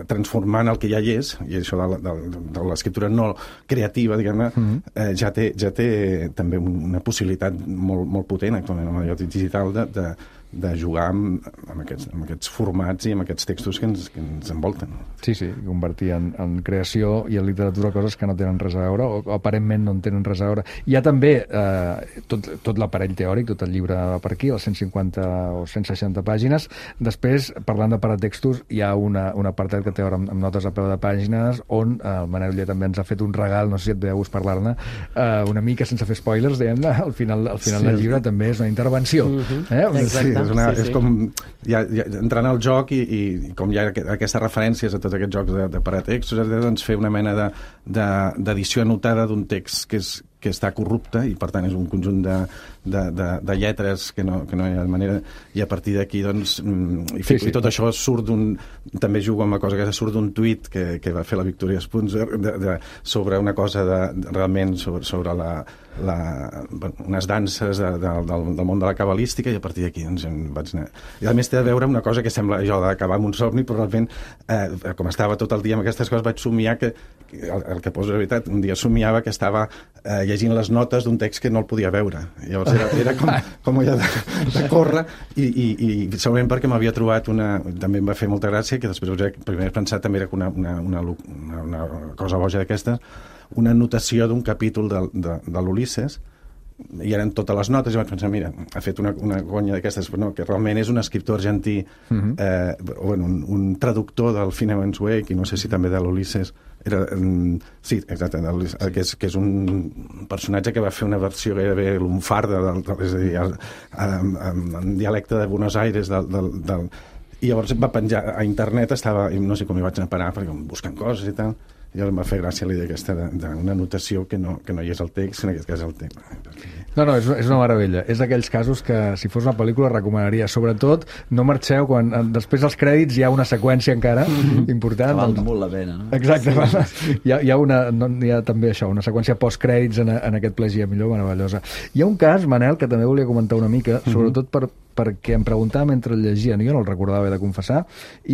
transformant el que ja hi és, i això de, de, de l'escriptura no creativa, diguem-ne, mm-hmm. eh, ja, té, ja té també una possibilitat molt, molt potent actualment amb allò digital de, de, de jugar amb, amb, aquests, amb aquests formats i amb aquests textos que ens, que ens envolten. Sí, sí, convertir en, en creació i en literatura coses que no tenen res a veure o, o aparentment no en tenen res a veure. Hi ha també eh, tot, tot l'aparell teòric, tot el llibre per aquí, les cent cinquanta o cent seixanta pàgines. Després, parlant de paratextos, hi ha una, un apartat que té a veure amb, amb notes a peu de pàgines on eh, el Manel Oller també ens ha fet un regal, no sé si et ve de gust parlar-ne, eh, una mica sense fer spoilers, diguem-ne, al final, al final Sí. del llibre també és una intervenció. Mhm. eh? Exacte. És, una, Sí, sí. és com ja, ja, entrant al joc i, i, i com hi ha aqu- aquestes referències a tots aquests jocs de, de paratextos, doncs fer una mena de, de, d'edició anotada d'un text que, és, que està corrupte i per tant és un conjunt de, de, de, de lletres que no, que no hi ha manera, i a partir d'aquí doncs, mm, i, Sí, sí, sí. i tot això surt d'un, també jugo amb la cosa que surt d'un tuit que, que va fer la Victoria Spunzer de, de, sobre una cosa de, de, realment sobre, sobre la, la, bueno, unes danses de, de, del, del món de la cabalística, i a partir d'aquí doncs, em vaig anar. I a més té a veure amb una cosa que sembla allò d'acabar amb un somni, però realment eh, com estava tot el dia amb aquestes coses vaig somiar que, que el, el que poso la veritat, un dia somiava que estava eh, llegint les notes d'un text que no el podia veure. Llavors era, era com, com allò de, de córrer i, i, i segurament perquè m'havia trobat una... També em va fer molta gràcia, que després vaig primer pensar també era una, una, una, una, una cosa boja d'aquestes, una anotació d'un capítol de, de, de l'Ulisses, i eren totes les notes, i vaig pensar, mira, ha fet una, una gonya d'aquestes, però no, que realment és un escriptor argentí, uh-huh. eh, o bueno, un, un traductor del Finnegan's Wake, i no sé si també de l'Ulisses, era, um, sí, exacte, de l'Ulisses, sí. que, és, que és un personatge que va fer una versió gairebé lunfarda, del, del, és a dir, el, en, en, en dialecte de Buenos Aires, del, del, del, i llavors va penjar a internet, estava, no sé com hi vaig anar a parar, perquè buscant coses i tal, i llavors em va fer gràcia la idea aquesta d'una anotació que no, que no hi és el text, en aquest cas el tema. No, no, és, és una meravella. És d'aquells casos que, si fos una pel·lícula, recomanaria. Sobretot, no marxeu quan després dels crèdits hi ha una seqüència encara mm-hmm. important. Val doncs... molt la pena, no? Exacte. Sí. Hi, ha, hi, ha una, no, hi ha també això, una seqüència post-crèdits en, en aquest Plagi millor, meravellosa. Hi ha un cas, Manel, que també volia comentar una mica, sobretot per, perquè em preguntava mentre el llegia, no, jo no el recordava, he de confessar,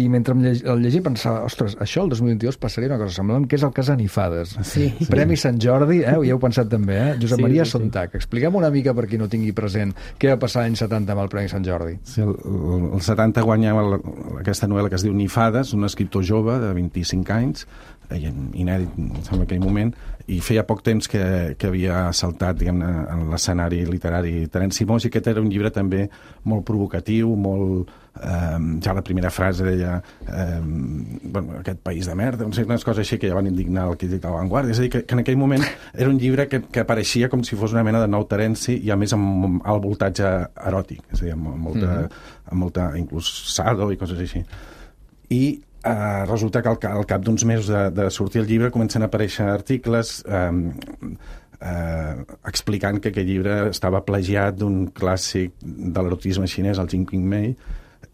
i mentre em llegia, el llegia pensava, ostres, això el dos mil vint-i-dos passaria una cosa semblant, que és el cas Anifades. Sí. Premi Sant Jordi, eh? Ho heu pensat també, eh? Josep Sí, Maria sí, sí. Sontag. Expliquem una mica, per qui no tingui present, què va passar l'any setanta amb el Premi Sant Jordi. Sí, el, el, el setanta guanyava la, aquesta novel·la que es diu Nifades, un escriptor jove de vint-i-cinc anys, inèdit, em sembla, en aquell moment, i feia poc temps que, que havia saltat, diguem-ne, en l'escenari literari Terenci Moix, i aquest era un llibre també molt provocatiu, molt... Eh, ja la primera frase deia eh, bueno, aquest país de merda, no sé, unes coses així que ja van indignar el crític de l'avantguarda. És a dir, que, que en aquell moment era un llibre que, que apareixia com si fos una mena de nou Terenci, i a més amb alt voltatge eròtic, és a dir, amb molta, mm-hmm. amb molta inclús sado i coses així. I eh, resulta que al, al cap d'uns mesos de, de sortir el llibre comencen a aparèixer articles eh, eh, explicant que aquest llibre estava plagiat d'un clàssic de l'erotisme xinès, el Jin Qing Mei,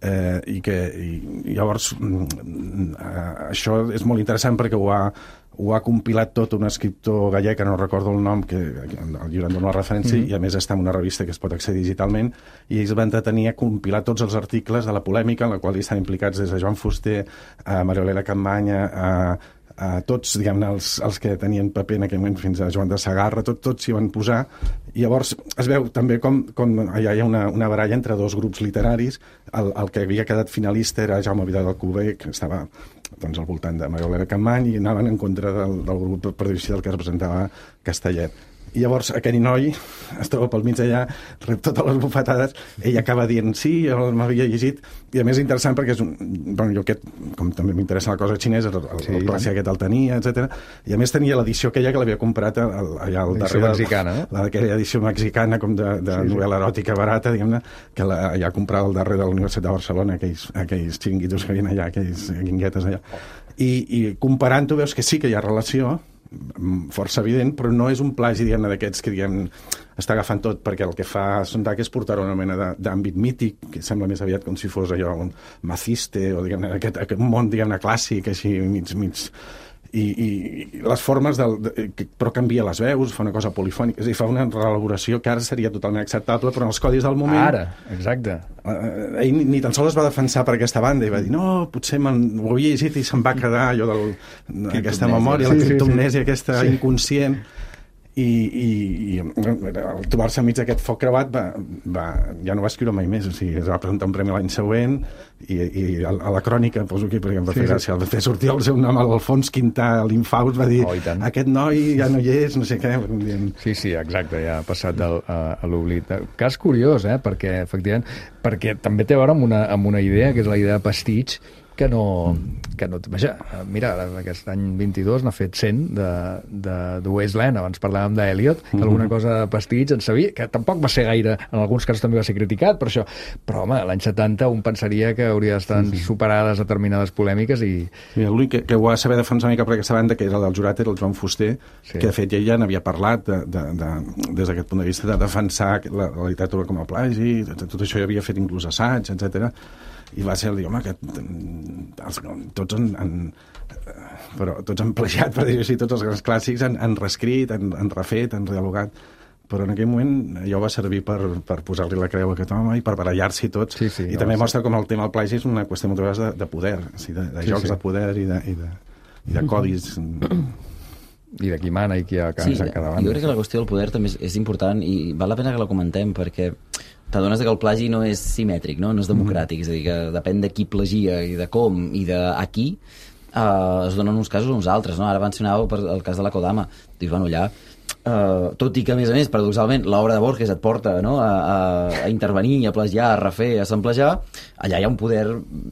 eh, i que i, i llavors eh, això és molt interessant perquè ho ha, ho ha compilat tot un escriptor gallec, que no recordo el nom, que el llibre en dona una referència, mm-hmm. i a més està en una revista que es pot accedir digitalment, i ells van entretenir a compilar tots els articles de la polèmica en la qual hi estan implicats des de Joan Fuster a Maria Olera Campmany, a uh, tots, diguem-ne, els, els que tenien paper en aquell moment, fins a Joan de Segarra, tot, tots s'hi van posar, i llavors es veu també com, com allà hi ha una, una baralla entre dos grups literaris. El, el que havia quedat finalista era Jaume Vidal Alcover, que estava doncs, al voltant de Maria Olera Campmany, i anaven en contra del, del grup, per dir-ho així, del que representava Castellet. I llavors aquell noi es troba pel mig allà, rep totes les bufetades, ell acaba dient sí, jo m'havia llegit, i a més és interessant perquè és un, bueno, jo aquest, com també m'interessa la cosa xinesa, el, el, sí, el placer aquest el tenia, etcètera. I a més tenia l'edició aquella que l'havia comprat al, allà al darrere, mexicana, no? Aquella edició mexicana com de, de sí, novel·la eròtica barata, diguem-ne, que la, allà comprava al darrere de la Universitat de Barcelona, aquells, aquells xiringuitos que havien allà, aquells guinguetes allà. I, i comparant-ho veus que sí que hi ha relació, força evident, però no és un plagi, diguem-ne, d'aquests que, diguem, està agafant tot, perquè el que fa Sondag és portar una mena d'àmbit mític, que sembla més aviat com si fos allò un maciste, o diguem-ne, aquest, aquest món, diguem-ne, clàssic, així, mig, mig... I, i, i les formes del, de, però canvia les veus, fa una cosa polifònica, és a dir, fa una reelaboració que ara seria totalment acceptable, però en els codis del moment ara, exacte eh, ell ni, ni tan sols es va defensar per aquesta banda i va dir, no, potser ho havia llegit i se'n va quedar allò d'aquesta memòria, sí, la criptomnèsia, sí, sí. aquesta sí. inconscient. I, i, i al trobar-se enmig d'aquest foc creuat va, va, ja no va escriure mai més, o sigui, es va presentar un premi l'any següent i, i a, a la crònica, poso aquí perquè em va fer sí, gràcia, sí. va fer sortir el seu nom, l'Alfons Quintà, l'Infaust, va dir, oh, aquest noi ja no hi és, no sé què. Sí, sí, exacte, ja ha passat del, a, a l'oblit. Cas curiós, eh, perquè efectivament, perquè també té a veure amb una, amb una idea, que és la idea de pastitx, que no... Que no vaja, mira, aquest any vint-i-dos n'ha fet cent de, de, de Wasteland, abans parlàvem d'Eliot, que mm-hmm. alguna cosa de pastitx en sabia, que tampoc va ser gaire, en alguns casos també va ser criticat per això, però home, l'any setanta un pensaria que hauria d'estar sí, sí. superades determinades polèmiques i... Mira, l'únic que, que ho va saber defensar una mica per aquesta banda, que era el del jurat, era el Joan Fuster, sí. que de fet ja, ja n'havia parlat de, de, de, des d'aquest punt de vista de defensar la, la literatura com a plagi, tot això ja havia fet inclús assaig, etcètera. I va ser el dir, home, que els, tots han, han però tots han plagiat, per dir-ho així, tots els grans clàssics han, han reescrit, han, han refet, han dialogat, però en aquell moment allò va servir per, per posar-li la creu a aquest home i per barallar-s'hi tots, sí, sí, i no, també sí. mostra com el tema del plagi és una qüestió moltes vegades de, de poder, o sigui, de, de sí, jocs sí. de poder i de, i de, i de codis... I de qui mana i qui ha sí, a cada banda. Jo crec que la qüestió del poder també és, és important i val la pena que la comentem perquè t'adones que el plagi no és simètric, no, no és democràtic, mm. és a dir, que depèn de qui plagia i de com i de a qui, uh, es donen uns casos o uns altres, no? Ara mencionàveu per el cas de la Kodama, dius, bueno, allà, uh, tot i que, a més a més, paradoxalment, l'obra de Borges et porta, no?, a, a, a intervenir, a plagiar, a refer, a samplejar, allà hi ha un poder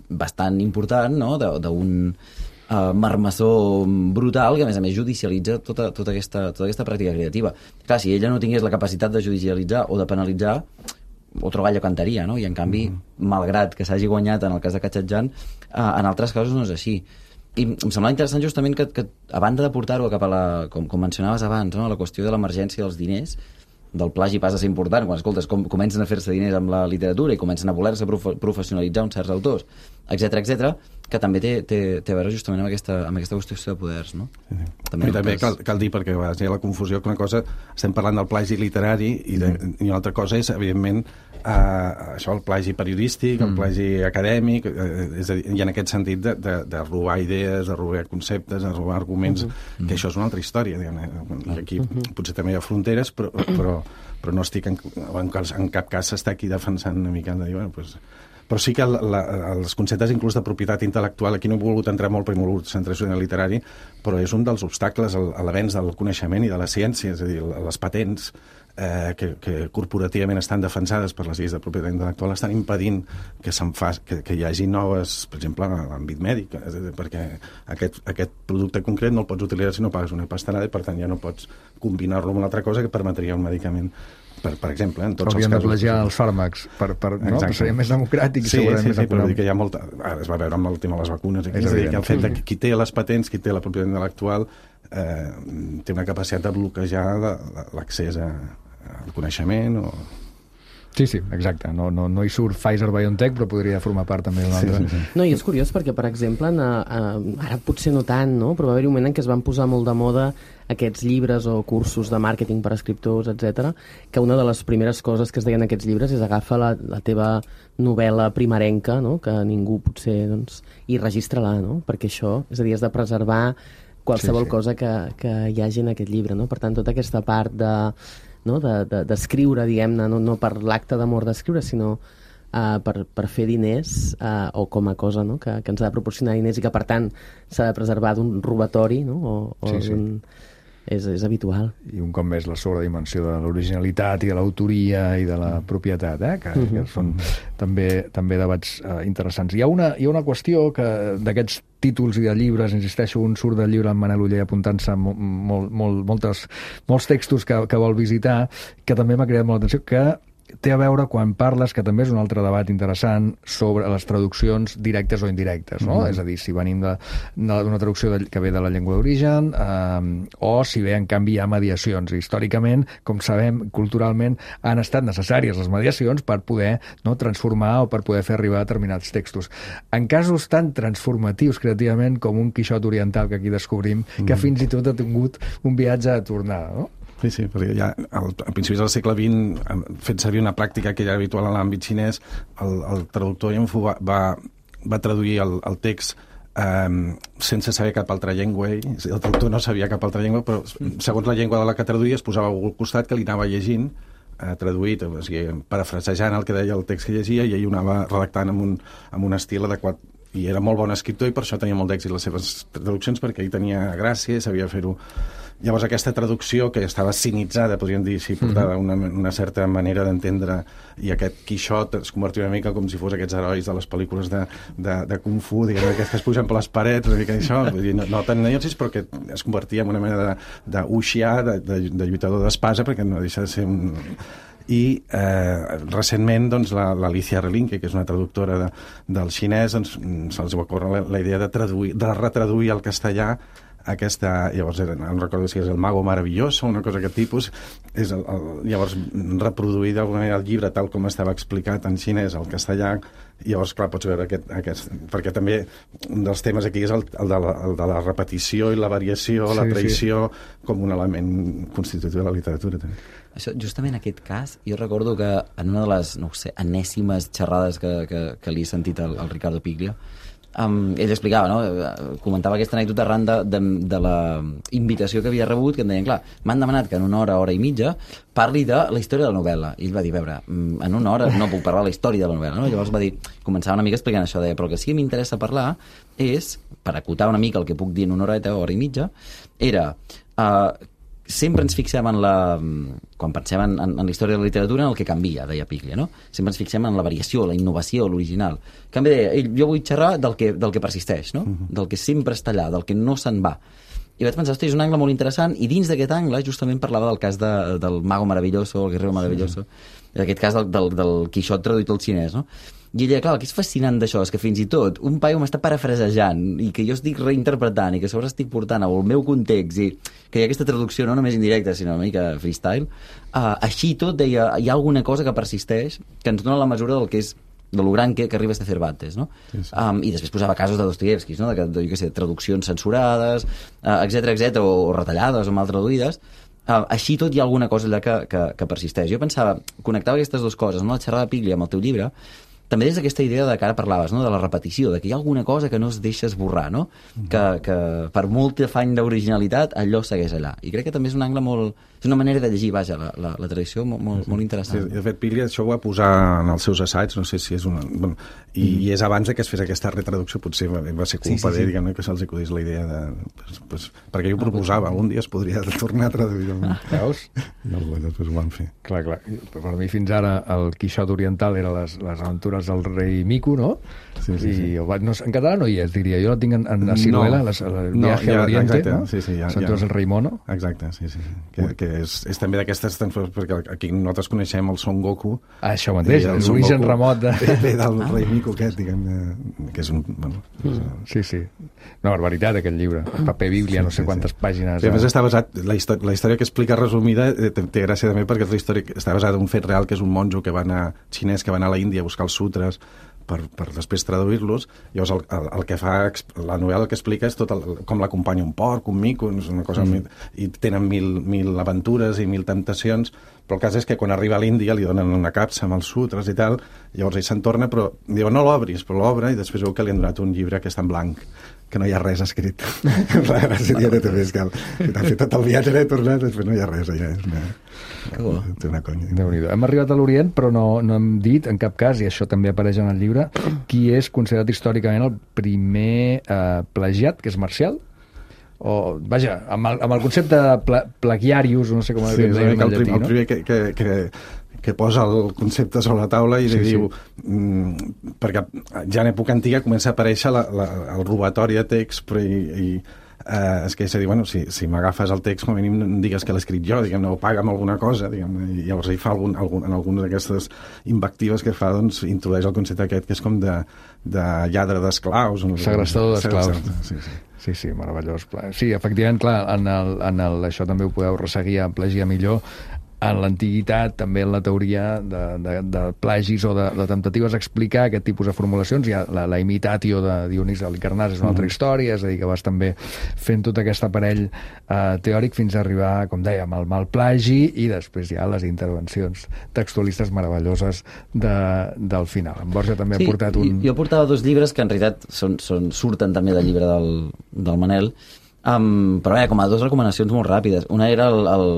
bastant important, no?, d'un uh, marmessó brutal que, a més a més, judicialitza tota, tota, aquesta, tota aquesta pràctica creativa. Clar, si ella no tingués la capacitat de judicialitzar o de penalitzar, otro gallo cantaria, no? I en canvi, mm. malgrat que s'hagi guanyat en el cas de Katxatjan, eh, en altres casos no és així. I em semblava interessant justament que, que a banda de portar-ho cap a la, com, com mencionaves abans, no? La qüestió de l'emergència dels diners, del plagi passa a ser important, quan escoltes com comencen a fer-se diners amb la literatura i comencen a voler-se prof professionalitzar uns certs autors, etcètera, etcètera, que també té, té, té a veure justament amb aquesta, amb aquesta qüestió de poders, no? Sí, sí. També, I també cal, cal dir, perquè a vegades hi ha la confusió, que una cosa, estem parlant del plagi literari i, de, i una altra cosa és, evidentment, eh, això, el plagi periodístic, el plagi acadèmic, eh, és a dir, i en aquest sentit de, de, de robar idees, de robar conceptes, de robar arguments, uh -huh. que això és una altra història, diguem-ne. I aquí uh -huh. potser també hi ha fronteres, però, però, però no estic en, en, en cap cas s'està aquí defensant una mica de dir, bueno, doncs... Però sí que la, la, els conceptes inclús de propietat intel·lectual, aquí no he volgut entrar molt perquè he volgut centrar-se en el literari, però és un dels obstacles a l'avenç del coneixement i de la ciència, és a dir, les patents eh, que, que corporativament estan defensades per les lleis de propietat intel·lectual estan impedint que, fa, que, que hi hagi noves, per exemple, en l'àmbit mèdic, és a dir, perquè aquest, aquest producte concret no el pots utilitzar si no pagues una pastanaada i per tant ja no pots combinar-lo amb una altra cosa que permetria un medicament. Per, per exemple, en tots Hauríem els casos... de plagiar els fàrmacs, per, per, no? Per seria més democràtic. Sí, sí, sí, sí, però dir que hi ha molta... Ara es va veure amb el tema de les vacunes. És, és a dir, que el fet de qui té les patents, qui té la propietat intel·lectual, eh, té una capacitat de bloquejar l'accés al coneixement o... Sí, sí, exacte. No, no, no hi surt Pfizer-BioNTech, però podria formar part també d'un altre. Sí, sí, sí. No, i és curiós perquè, per exemple, en, en, ara potser no tant, no? Però va haver-hi un moment en què es van posar molt de moda aquests llibres o cursos de màrqueting per a escriptors, etcètera, que una de les primeres coses que es deien en aquests llibres és agafa la, la teva novel·la primerenca, no? Que ningú potser, doncs, i registra-la, no? Perquè això, és a dir, has de preservar qualsevol Sí, sí. cosa que, que hi hagi en aquest llibre, no? Per tant, tota aquesta part de, no? de, de, d'escriure, diguem-ne, no, no per l'acte d'amor d'escriure, sinó uh, per, per fer diners uh, o com a cosa, no? que, que ens ha de proporcionar diners i que, per tant, s'ha de preservar d'un robatori, no? o, o Sí, sí. d'un... És, és habitual. I un cop més la sobredimensió de l'originalitat i de l'autoria i de la propietat, eh? que, que són també, també debats eh, interessants. Hi ha, una, hi ha una qüestió que d'aquests títols i de llibres, insisteixo, un surt del llibre amb Manel Oller apuntant-se mo, molt, molt, moltes, molts textos que, que vol visitar, que també m'ha cridat molt l'atenció, que té a veure quan parles, que també és un altre debat interessant, sobre les traduccions directes o indirectes, no? Mm-hmm. És a dir, si venim d'una traducció de, que ve de la llengua d'origen eh, o si ve, en canvi, hi ha mediacions. Històricament, com sabem, culturalment, han estat necessàries les mediacions per poder, no, transformar o per poder fer arribar determinats textos. En casos tan transformatius creativament com un Quixot oriental que aquí descobrim, mm-hmm. que fins i tot ha tingut un viatge a tornada, no? Sí, sí, perquè ja al, a principis del segle vint, fent servir una pràctica que era habitual en l'àmbit xinès, el, el traductor Yan Fu va, va, va traduir el, el text eh, sense saber cap altra llengua. El traductor no sabia cap altra llengua, però segons la llengua de la que traduïa es posava al costat que li anava llegint, eh, traduït, o sigui, parafrasejant el que deia el text que llegia, i ell ho anava redactant amb un, amb un estil adequat. I era molt bon escriptor i per això tenia molt d'èxit les seves traduccions, perquè ell tenia gràcia, sabia fer-ho. Llavors aquesta traducció, que estava cinitzada, podríem dir, si portava una, una certa manera d'entendre, i aquest Quixot es convertia una mica com si fos aquests herois de les pel·lícules de, de, de Kung Fu, diguem, aquests que es pugen per les parets, una mica d'això, no, no tan neocis, però que es convertia en una mena de, de wuxia, de, de, de lluitador d'espasa, perquè no deixa de ser un... I eh, recentment doncs, l'Alicia Relinque, que és una traductora de, del xinès, doncs, se'ls va córrer la, la idea de, traduir, de retraduir al castellà aquesta, llavors era, no recordo si és el Mago Maravilloso, una cosa d'aquest tipus, és el, el, llavors reproduir d'alguna manera el llibre tal com estava explicat en xinès al castellà. Llavors, clar, pots veure aquest, aquest... Perquè també un dels temes aquí és el, el, de, la, el de la repetició i la variació, sí, la traïció, sí, com un element constitutiu de la literatura, també. Això, justament en aquest cas, jo recordo que en una de les, no ho sé, enèsimes xerrades que, que, que li he sentit al, al Ricardo Piglia, Um, ell explicava, no? Comentava aquesta anècdota arran de, de, de la invitació que havia rebut, que em deien, clar, m'han demanat que en una hora, hora i mitja parli de la història de la novel·la, i ell va dir, a veure, en una hora no puc parlar de la història de la novel·la, no? Llavors va dir, començava una mica explicant això, deia, però el que sí que m'interessa parlar és, per acotar una mica el que puc dir en una horeta o hora i mitja, era uh, sempre ens fixem en la... Quan pensem en, en, en la història de la literatura, en el que canvia, deia Piglia, no? Sempre ens fixem en la variació, la innovació, l'original. En canvi, deia, jo vull xerrar del que, del que persisteix, no? Uh-huh. Del que sempre està allà, del que no se'n va. I vaig pensar, hosti, és un angle molt interessant, i dins d'aquest angle justament parlava del cas de, del Mago Maravilloso, el Guerrero Maravilloso, sí, en aquest cas del, del, del Quixot traduït al xinès, no? I ella, clar, el que és fascinant d'això és que fins i tot un paio m'està parafrasejant i que jo estic reinterpretant i que a sobre estic portant al meu context i que hi ha aquesta traducció no només indirecta sinó una mica freestyle, uh, així tot deia, hi ha alguna cosa que persisteix que ens dona la mesura del que és de lo gran que, que arriba a ser Cervantes, no? Sí, sí. Um, i després posava casos de Dostoievski, no? De, de, jo què sé, traduccions censurades, uh, etcètera, etcètera, o, o retallades o mal traduïdes. Uh, així tot hi ha alguna cosa allà que, que, que persisteix. Jo pensava, connectava aquestes dues coses, no? La xerrada de Piglia amb el teu llibre, també des d'aquesta idea de que ara parlaves, no? De la repetició, de que hi ha alguna cosa que no es deixa esborrar, no? Mm. Que, que per molt afany d'originalitat allò segueix allà. I crec que també és un angle molt... És una manera de llegir, vaja, la, la, la tradició molt, molt, molt interessant. Sí, de fet, Piglia això ho va posar en els seus assaigs, no sé si és una... Bueno, i, mm. i és abans de que es fes aquesta retraducció, potser va, va ser culpa sí, sí, sí. d'ell, diguem-ne, que se'ls acudís la idea de... Pues, pues, perquè jo ho proposava, algun dia es podria tornar a traduir. Ah. Veus? I algú després ho van fer. Clar, clar. Per mi fins ara el Quixot oriental era les, les aventures del rei Mico, no? Sí, sí, sí. I no, en català no hi és, diria. Jo la tinc en, en la sinuela, no, el viatge no, ja, a l'Oriente, no? Sí, sí, ja, Aventures del rei Mono. Exacte, sí, sí. Que, que és, és també d'aquestes transformacions, perquè aquí nosaltres coneixem el Son Goku. Ah, això mateix, l'origen remot de... Ve del ah. rei Mico aquest, diguem, que és un... Bueno, mm. Sí, sí. Una barbaritat, aquest llibre. Paper bíblia, sí, no sé sí, quantes sí. pàgines. Sí, a més, està basat... La història, la història que explica resumida té, té gràcia també perquè la història està basada en un fet real, que és un monjo que va anar, xinès que va anar a la Índia a buscar els sutres per, per després traduir-los. Llavors el, el, el que fa la novel·la que explica és tot el, com l'acompanya un porc, un mico, una cosa mm. i tenen mil, mil aventures i mil temptacions, però el cas és que quan arriba a l'Índia li donen una capsa amb els sutres i tal, llavors ell se'n torna, però diu no l'obris, però l'obre i després veu que li han donat un llibre que està en blanc, que no hi ha res escrit. La gràcia diària també és que, que t'ha fet tot el viatge, he tornat, després no hi ha res allà. És una, bo. una conya. Déu-n'hi-do. Hem arribat a l'Orient, però no, no hem dit, en cap cas, i això també apareix en el llibre, qui és considerat històricament el primer eh, plagiat, que és Marcial? O, vaja, amb el, amb el concepte de pla, plagiarius, no sé com sí, es diu en el, llatí, el no? primer que, que, que que posa el concepte sobre la taula i sí, li diu... Sí. Mm, perquè ja en època antiga comença a aparèixer la, la, el robatori de text, però i, i eh, és que és a dir, bueno, si, si m'agafes el text, com a mínim no digues que l'he escrit jo, diguem-ne, o paga'm alguna cosa, diguem-ne, i llavors ell fa algun, algun, en alguna d'aquestes invectives que fa, doncs, introdueix el concepte aquest, que és com de, de lladre d'esclaus. No? Segrestador d'esclaus. Sí, sí. Sí, sí, meravellós. Sí, efectivament, clar, en el, en el, això també ho podeu resseguir a Plagiar millor. En l'antiguitat, també en la teoria de, de, de plagis o de, de temptatives explicar aquest tipus de formulacions. Hi ha la, la imitatio de Dionís Halicarnàs, és una altra història, és a dir, que vas també fent tot aquest aparell eh, teòric fins a arribar, com dèiem, al mal plagi i després ja les intervencions textualistes meravelloses de, del final. En Borja també sí, ha portat un... Jo portava dos llibres que en realitat són, són, surten també del llibre del, del Manel, um, però bé, com a dues recomanacions molt ràpides. Una era el, el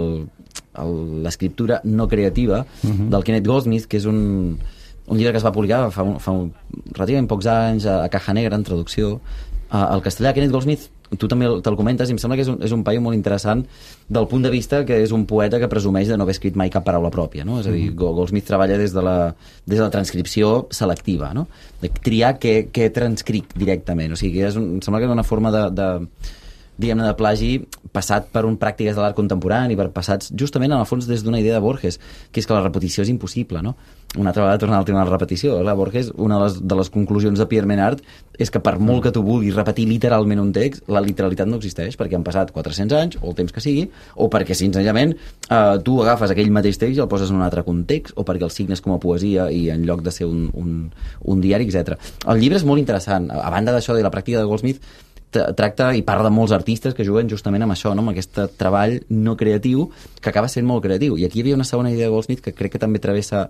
l'escriptura no creativa uh-huh. del Kenneth Goldsmith, que és un, un llibre que es va publicar fa, un, fa un, relativament pocs anys a, a Caja Negra, en traducció uh, al castellà. Kenneth Goldsmith, tu també te'l comentes, i em sembla que és un, és un paio molt interessant del punt de vista que és un poeta que presumeix de no haver escrit mai cap paraula pròpia, no? És a dir, uh-huh. Goldsmith treballa des de la, des de la transcripció selectiva, no? De triar què, què transcric directament, o sigui, és un, em sembla que és una forma de, de diguem-ne, de plagi passat per un pràctiques de l'art contemporani, per passats justament en el fons des d'una idea de Borges, que és que la repetició és impossible, no? Una altra vegada tornant al tema de la repetició, la Borges, una de les, de les conclusions de Pierre Menard és que per molt que tu vulguis repetir literalment un text, la literalitat no existeix, perquè han passat quatre-cents anys, o el temps que sigui, o perquè senzillament eh, tu agafes aquell mateix text i el poses en un altre context, o perquè el signes com a poesia i en lloc de ser un, un, un diari, etcètera. El llibre és molt interessant. A banda d'això de la pràctica de Goldsmith, tracta i parla de molts artistes que juguen justament amb això, no? Amb aquest treball no creatiu que acaba sent molt creatiu. I aquí hi havia una segona idea de Goldsmith que crec que també travessa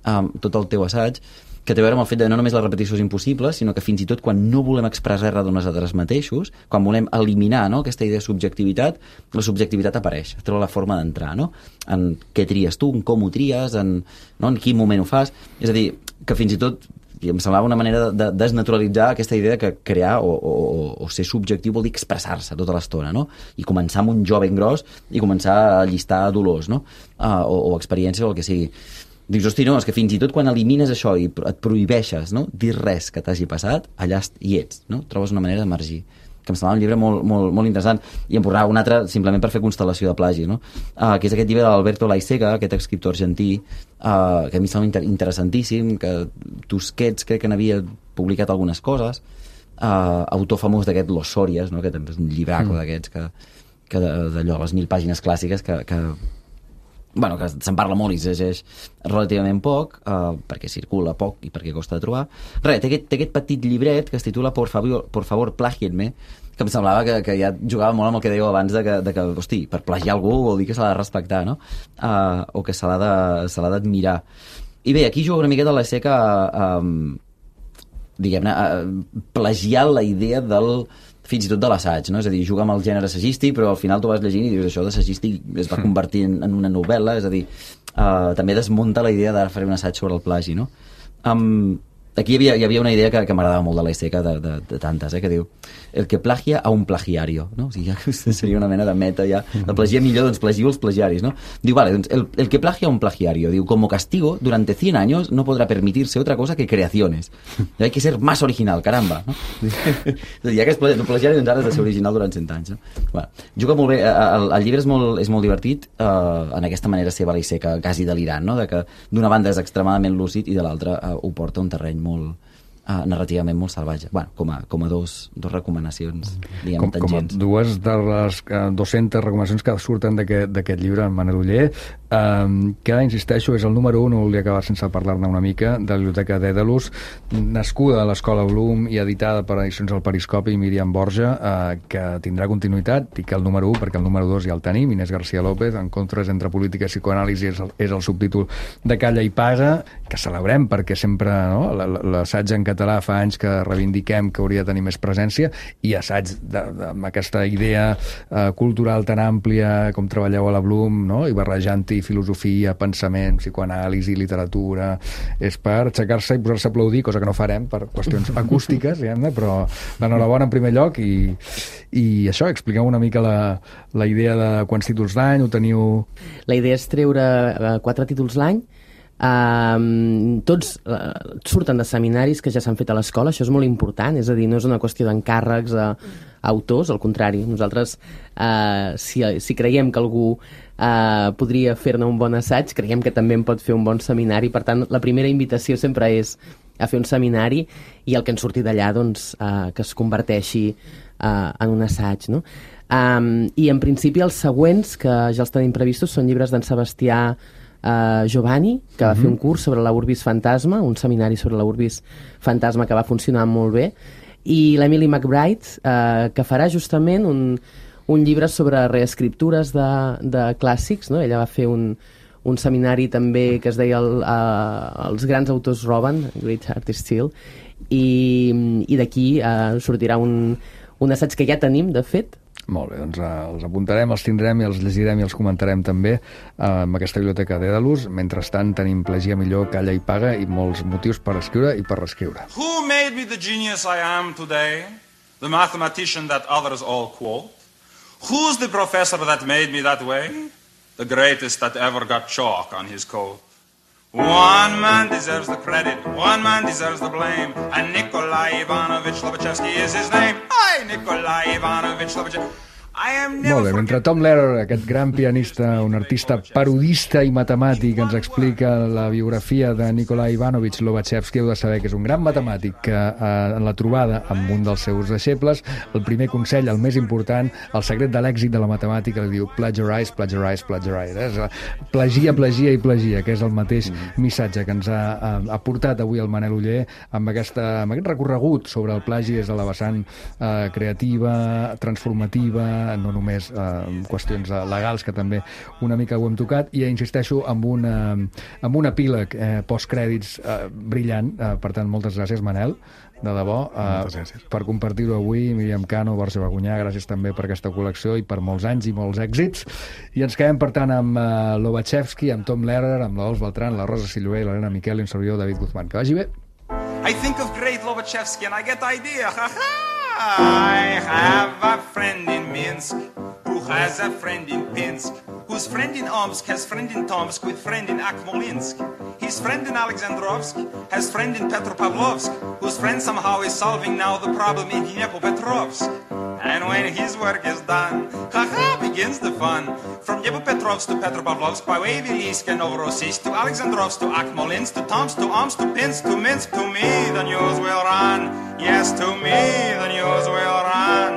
um, tot el teu assaig, que té a veure amb el fet de no només la repetició és impossible, sinó que fins i tot quan no volem expressar res d'unes altres mateixos, quan volem eliminar, no, aquesta idea de subjectivitat, la subjectivitat apareix, troba la forma d'entrar, no? En què tries tu, en com ho tries, en, no, en quin moment ho fas. És a dir, que fins i tot i em semblava una manera de, de desnaturalitzar aquesta idea que crear o, o, o ser subjectiu vol dir expressar-se tota l'estona, no? I començar amb un jo ben gros i començar a llistar dolors, no? Uh, o, o experiències o el que sigui. Dius, hosti, no, és que fins i tot quan elimines això i et prohibeixes, no?, dir res que t'hagi passat, allà hi ets, no? Trobes una manera d'emergir. Que em semblava un llibre molt, molt, molt interessant, i em posava un altre simplement per fer constel·lació de plagi, no? Uh, que és aquest llibre d'Alberto Laisega, aquest escriptor argentí, uh, que a mi em sembla inter interessantíssim, que Tusquets crec que n'havia publicat algunes coses, uh, autor famós d'aquest Los Sorias, no?, que també és un llibraco mm. d'aquests, que, que d'allò, les mil pàgines clàssiques, que, que bueno, que se'n parla molt i es llegeix relativament poc, uh, perquè circula poc i perquè costa de trobar. Res, té aquest, té aquest petit llibret que es titula Por favor, por favor plagienme, que em semblava que, que ja jugava molt amb el que dèieu abans de que, de que, hosti, per plagiar algú vol dir que se l'ha de respectar, no? Uh, o que se l'ha d'admirar. I bé, aquí juga una miqueta la seca a, a diguem-ne, a plagiar la idea del fins i tot de l'assaig, no? És a dir, juga amb el gènere assagístic, però al final tu vas llegint i dius, això d'assagístic es va convertir en, en una novel·la, és a dir, uh, també desmunta la idea d'ara faré un assaig sobre el plagi, no? Um, aquí hi havia, hi havia una idea que, que m'agradava molt de la Seca, de, de, de tantes, eh, que diu el que plagia a un plagiario, no? O sigui, ja seria una mena de meta, ja. El plagia millor, doncs plagiu els plagiaris, no? Diu, vale, doncs el, el que plagia a un plagiario, diu, como castigo, durante cien años no podrá permitirse otra cosa que creaciones. Hay que ser más original, caramba, no? Ja que és plagiari, doncs ara has de ser original durant cent anys, no? Bueno, juga molt bé, el, el llibre és molt, és molt divertit, eh, en aquesta manera seva la Seca, quasi delirant, no? De que d'una banda és extremadament lúcid i de l'altra eh, ho porta a un terreny molt, uh, narrativament molt salvatge. Bueno, com a, com a dos, dos recomanacions, diguem, com, tangents. Com a dues de les uh, dues-centes recomanacions que surten d'aquest llibre, en Manel Oller, um, que, insisteixo, és el número un, no volia acabar sense parlar-ne una mica, de la Biblioteca Dèdalus, nascuda a l'Escola Bloom i editada per Edicions del Periscopi i Míriam Borja, uh, que tindrà continuïtat, i que el número un, perquè el número dos ja el tenim, Inés García López, Encontres entre política i psicoanàlisi, és el, és el subtítol de Calla i Paga, que celebrem perquè sempre, no, l'assaig en català català fa anys que reivindiquem que hauria de tenir més presència, i assaig de, de, amb aquesta idea eh, cultural tan àmplia com treballeu a la Bloom, no? I barrejant-hi filosofia, pensament, psicoanàlisi, literatura, és per aixecar-se i posar-se a aplaudir, cosa que no farem per qüestions acústiques, diguem-ne, però l'enhorabona en primer lloc, i, i això, expliqueu una mica la, la idea de quants títols l'any, ho teniu... La idea és treure uh, quatre títols l'any. Uh, tots uh, surten de seminaris que ja s'han fet a l'escola, això és molt important, és a dir, no és una qüestió d'encàrrecs a, a autors, al contrari, nosaltres uh, si, si creiem que algú uh, podria fer-ne un bon assaig, creiem que també en pot fer un bon seminari, per tant la primera invitació sempre és a fer un seminari, i el que en surti d'allà, doncs, uh, que es converteixi uh, en un assaig, no? Um, i en principi els següents, que ja els tenim previstos, són llibres d'en Sebastià uh, Giovanni, que va mm-hmm. fer un curs sobre la Urbis Fantasma, un seminari sobre la Urbis Fantasma que va funcionar molt bé, i l'Emily McBride, uh, que farà justament un, un llibre sobre reescriptures de, de clàssics, no? Ella va fer un, un seminari també que es deia el, uh, Els grans autors roben, Great Artists Steal, i, i d'aquí uh, sortirà un, un assaig que ja tenim, de fet. Molt bé, doncs uh, els apuntarem, els tindrem i els llegirem i els comentarem també uh, amb aquesta biblioteca d'Edalus. Mentrestant tenim Plagia millor, calla i paga, i molts motius per escriure i per reescriure. Who made me the genius I am today? The mathematician that others all quote? Who's the professor that made me that way? The greatest that ever got chalk on his coat. One man deserves the credit, one man deserves the blame, and Nikolai Ivanovich Lobachevsky is his name. Hi, Nikolai Ivanovich Lobachevsky. Molt bé, mentre Tom Lehrer, aquest gran pianista, un artista parodista i matemàtic, ens explica la biografia de Nikolai Ivanovich Lobachevsky, heu de saber que és un gran matemàtic que eh, en la trobada amb un dels seus deixebles, el primer consell, el més important, el secret de l'èxit de la matemàtica, li diu plagiarize, plagiarize, plagiarize. Eh? Plagia, plagia i plagia, que és el mateix missatge que ens ha, ha portat avui el Manel Oller amb, aquesta, amb aquest recorregut sobre el plagi des de la vessant eh, creativa, transformativa, no només eh, qüestions legals, que també una mica ho hem tocat, i insisteixo amb, una, amb un epíleg eh, postcrèdits eh, brillant, eh, per tant moltes gràcies Manel, de debò, eh, per compartir-ho avui. Míriam Cano, Borja Bagunyà, gràcies també per aquesta col·lecció i per molts anys i molts èxits, i ens quedem per tant amb eh, Lobachevsky, amb Tom Lehrer, amb la Dols Beltrán, la Rosa Silloé, l'Helena Miquel i un servidor David Guzmán. Que vagi bé. I think of great Lobachevsky and I get the idea. Ha ha! I have a friend in Minsk who has a friend in Pinsk, whose friend in Omsk has friend in Tomsk with friend in Akmolinsk. His friend in Alexandrovsk has friend in Petropavlovsk, whose friend somehow is solving now the problem in Dnepropetrovsk. And when his work is done, ha-ha, begins the fun. From Dnepropetrovsk to Petropavlovsk, by Wavylisk and Novorossiysk, to Alexandrovsk, to Akmolinsk, to Tomsk, to Omsk, to Pinsk, to Minsk, to me the news will run. Yes, to me the news will run.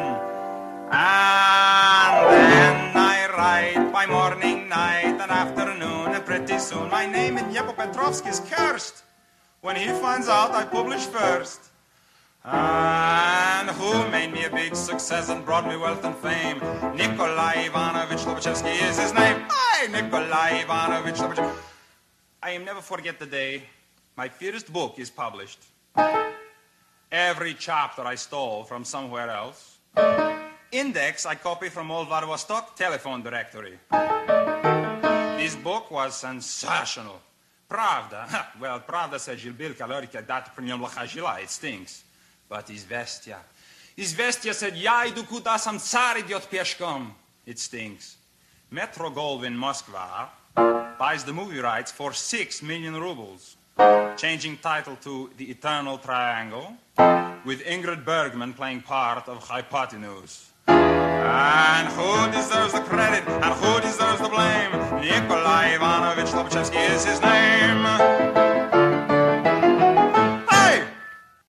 And then I write by morning, night, and afternoon, and pretty soon my name in Dnepropetrovsk is cursed. When he finds out I publish first. And who made me a big success and brought me wealth and fame? Nikolai Ivanovich Lobachevsky is his name. Hi, Nikolai Ivanovich Lobachevsky. I am never forget the day my first book is published. Every chapter I stole from somewhere else. Index I copy from old Vladivostok telephone directory. This book was sensational. Pravda, well, Pravda said Gilbil Kalorika dat prinyom lachajila, it stinks. But Izvestia, Izvestia said, я иду куда сам царь идет пешком. It stinks. Metro Goldwyn Moskva buys the movie rights for six million rubles, changing title to The Eternal Triangle, with Ingrid Bergman playing part of Hypotenuse. And who deserves the credit and who deserves the blame? Nikolai Ivanovich Lobachevsky is his name.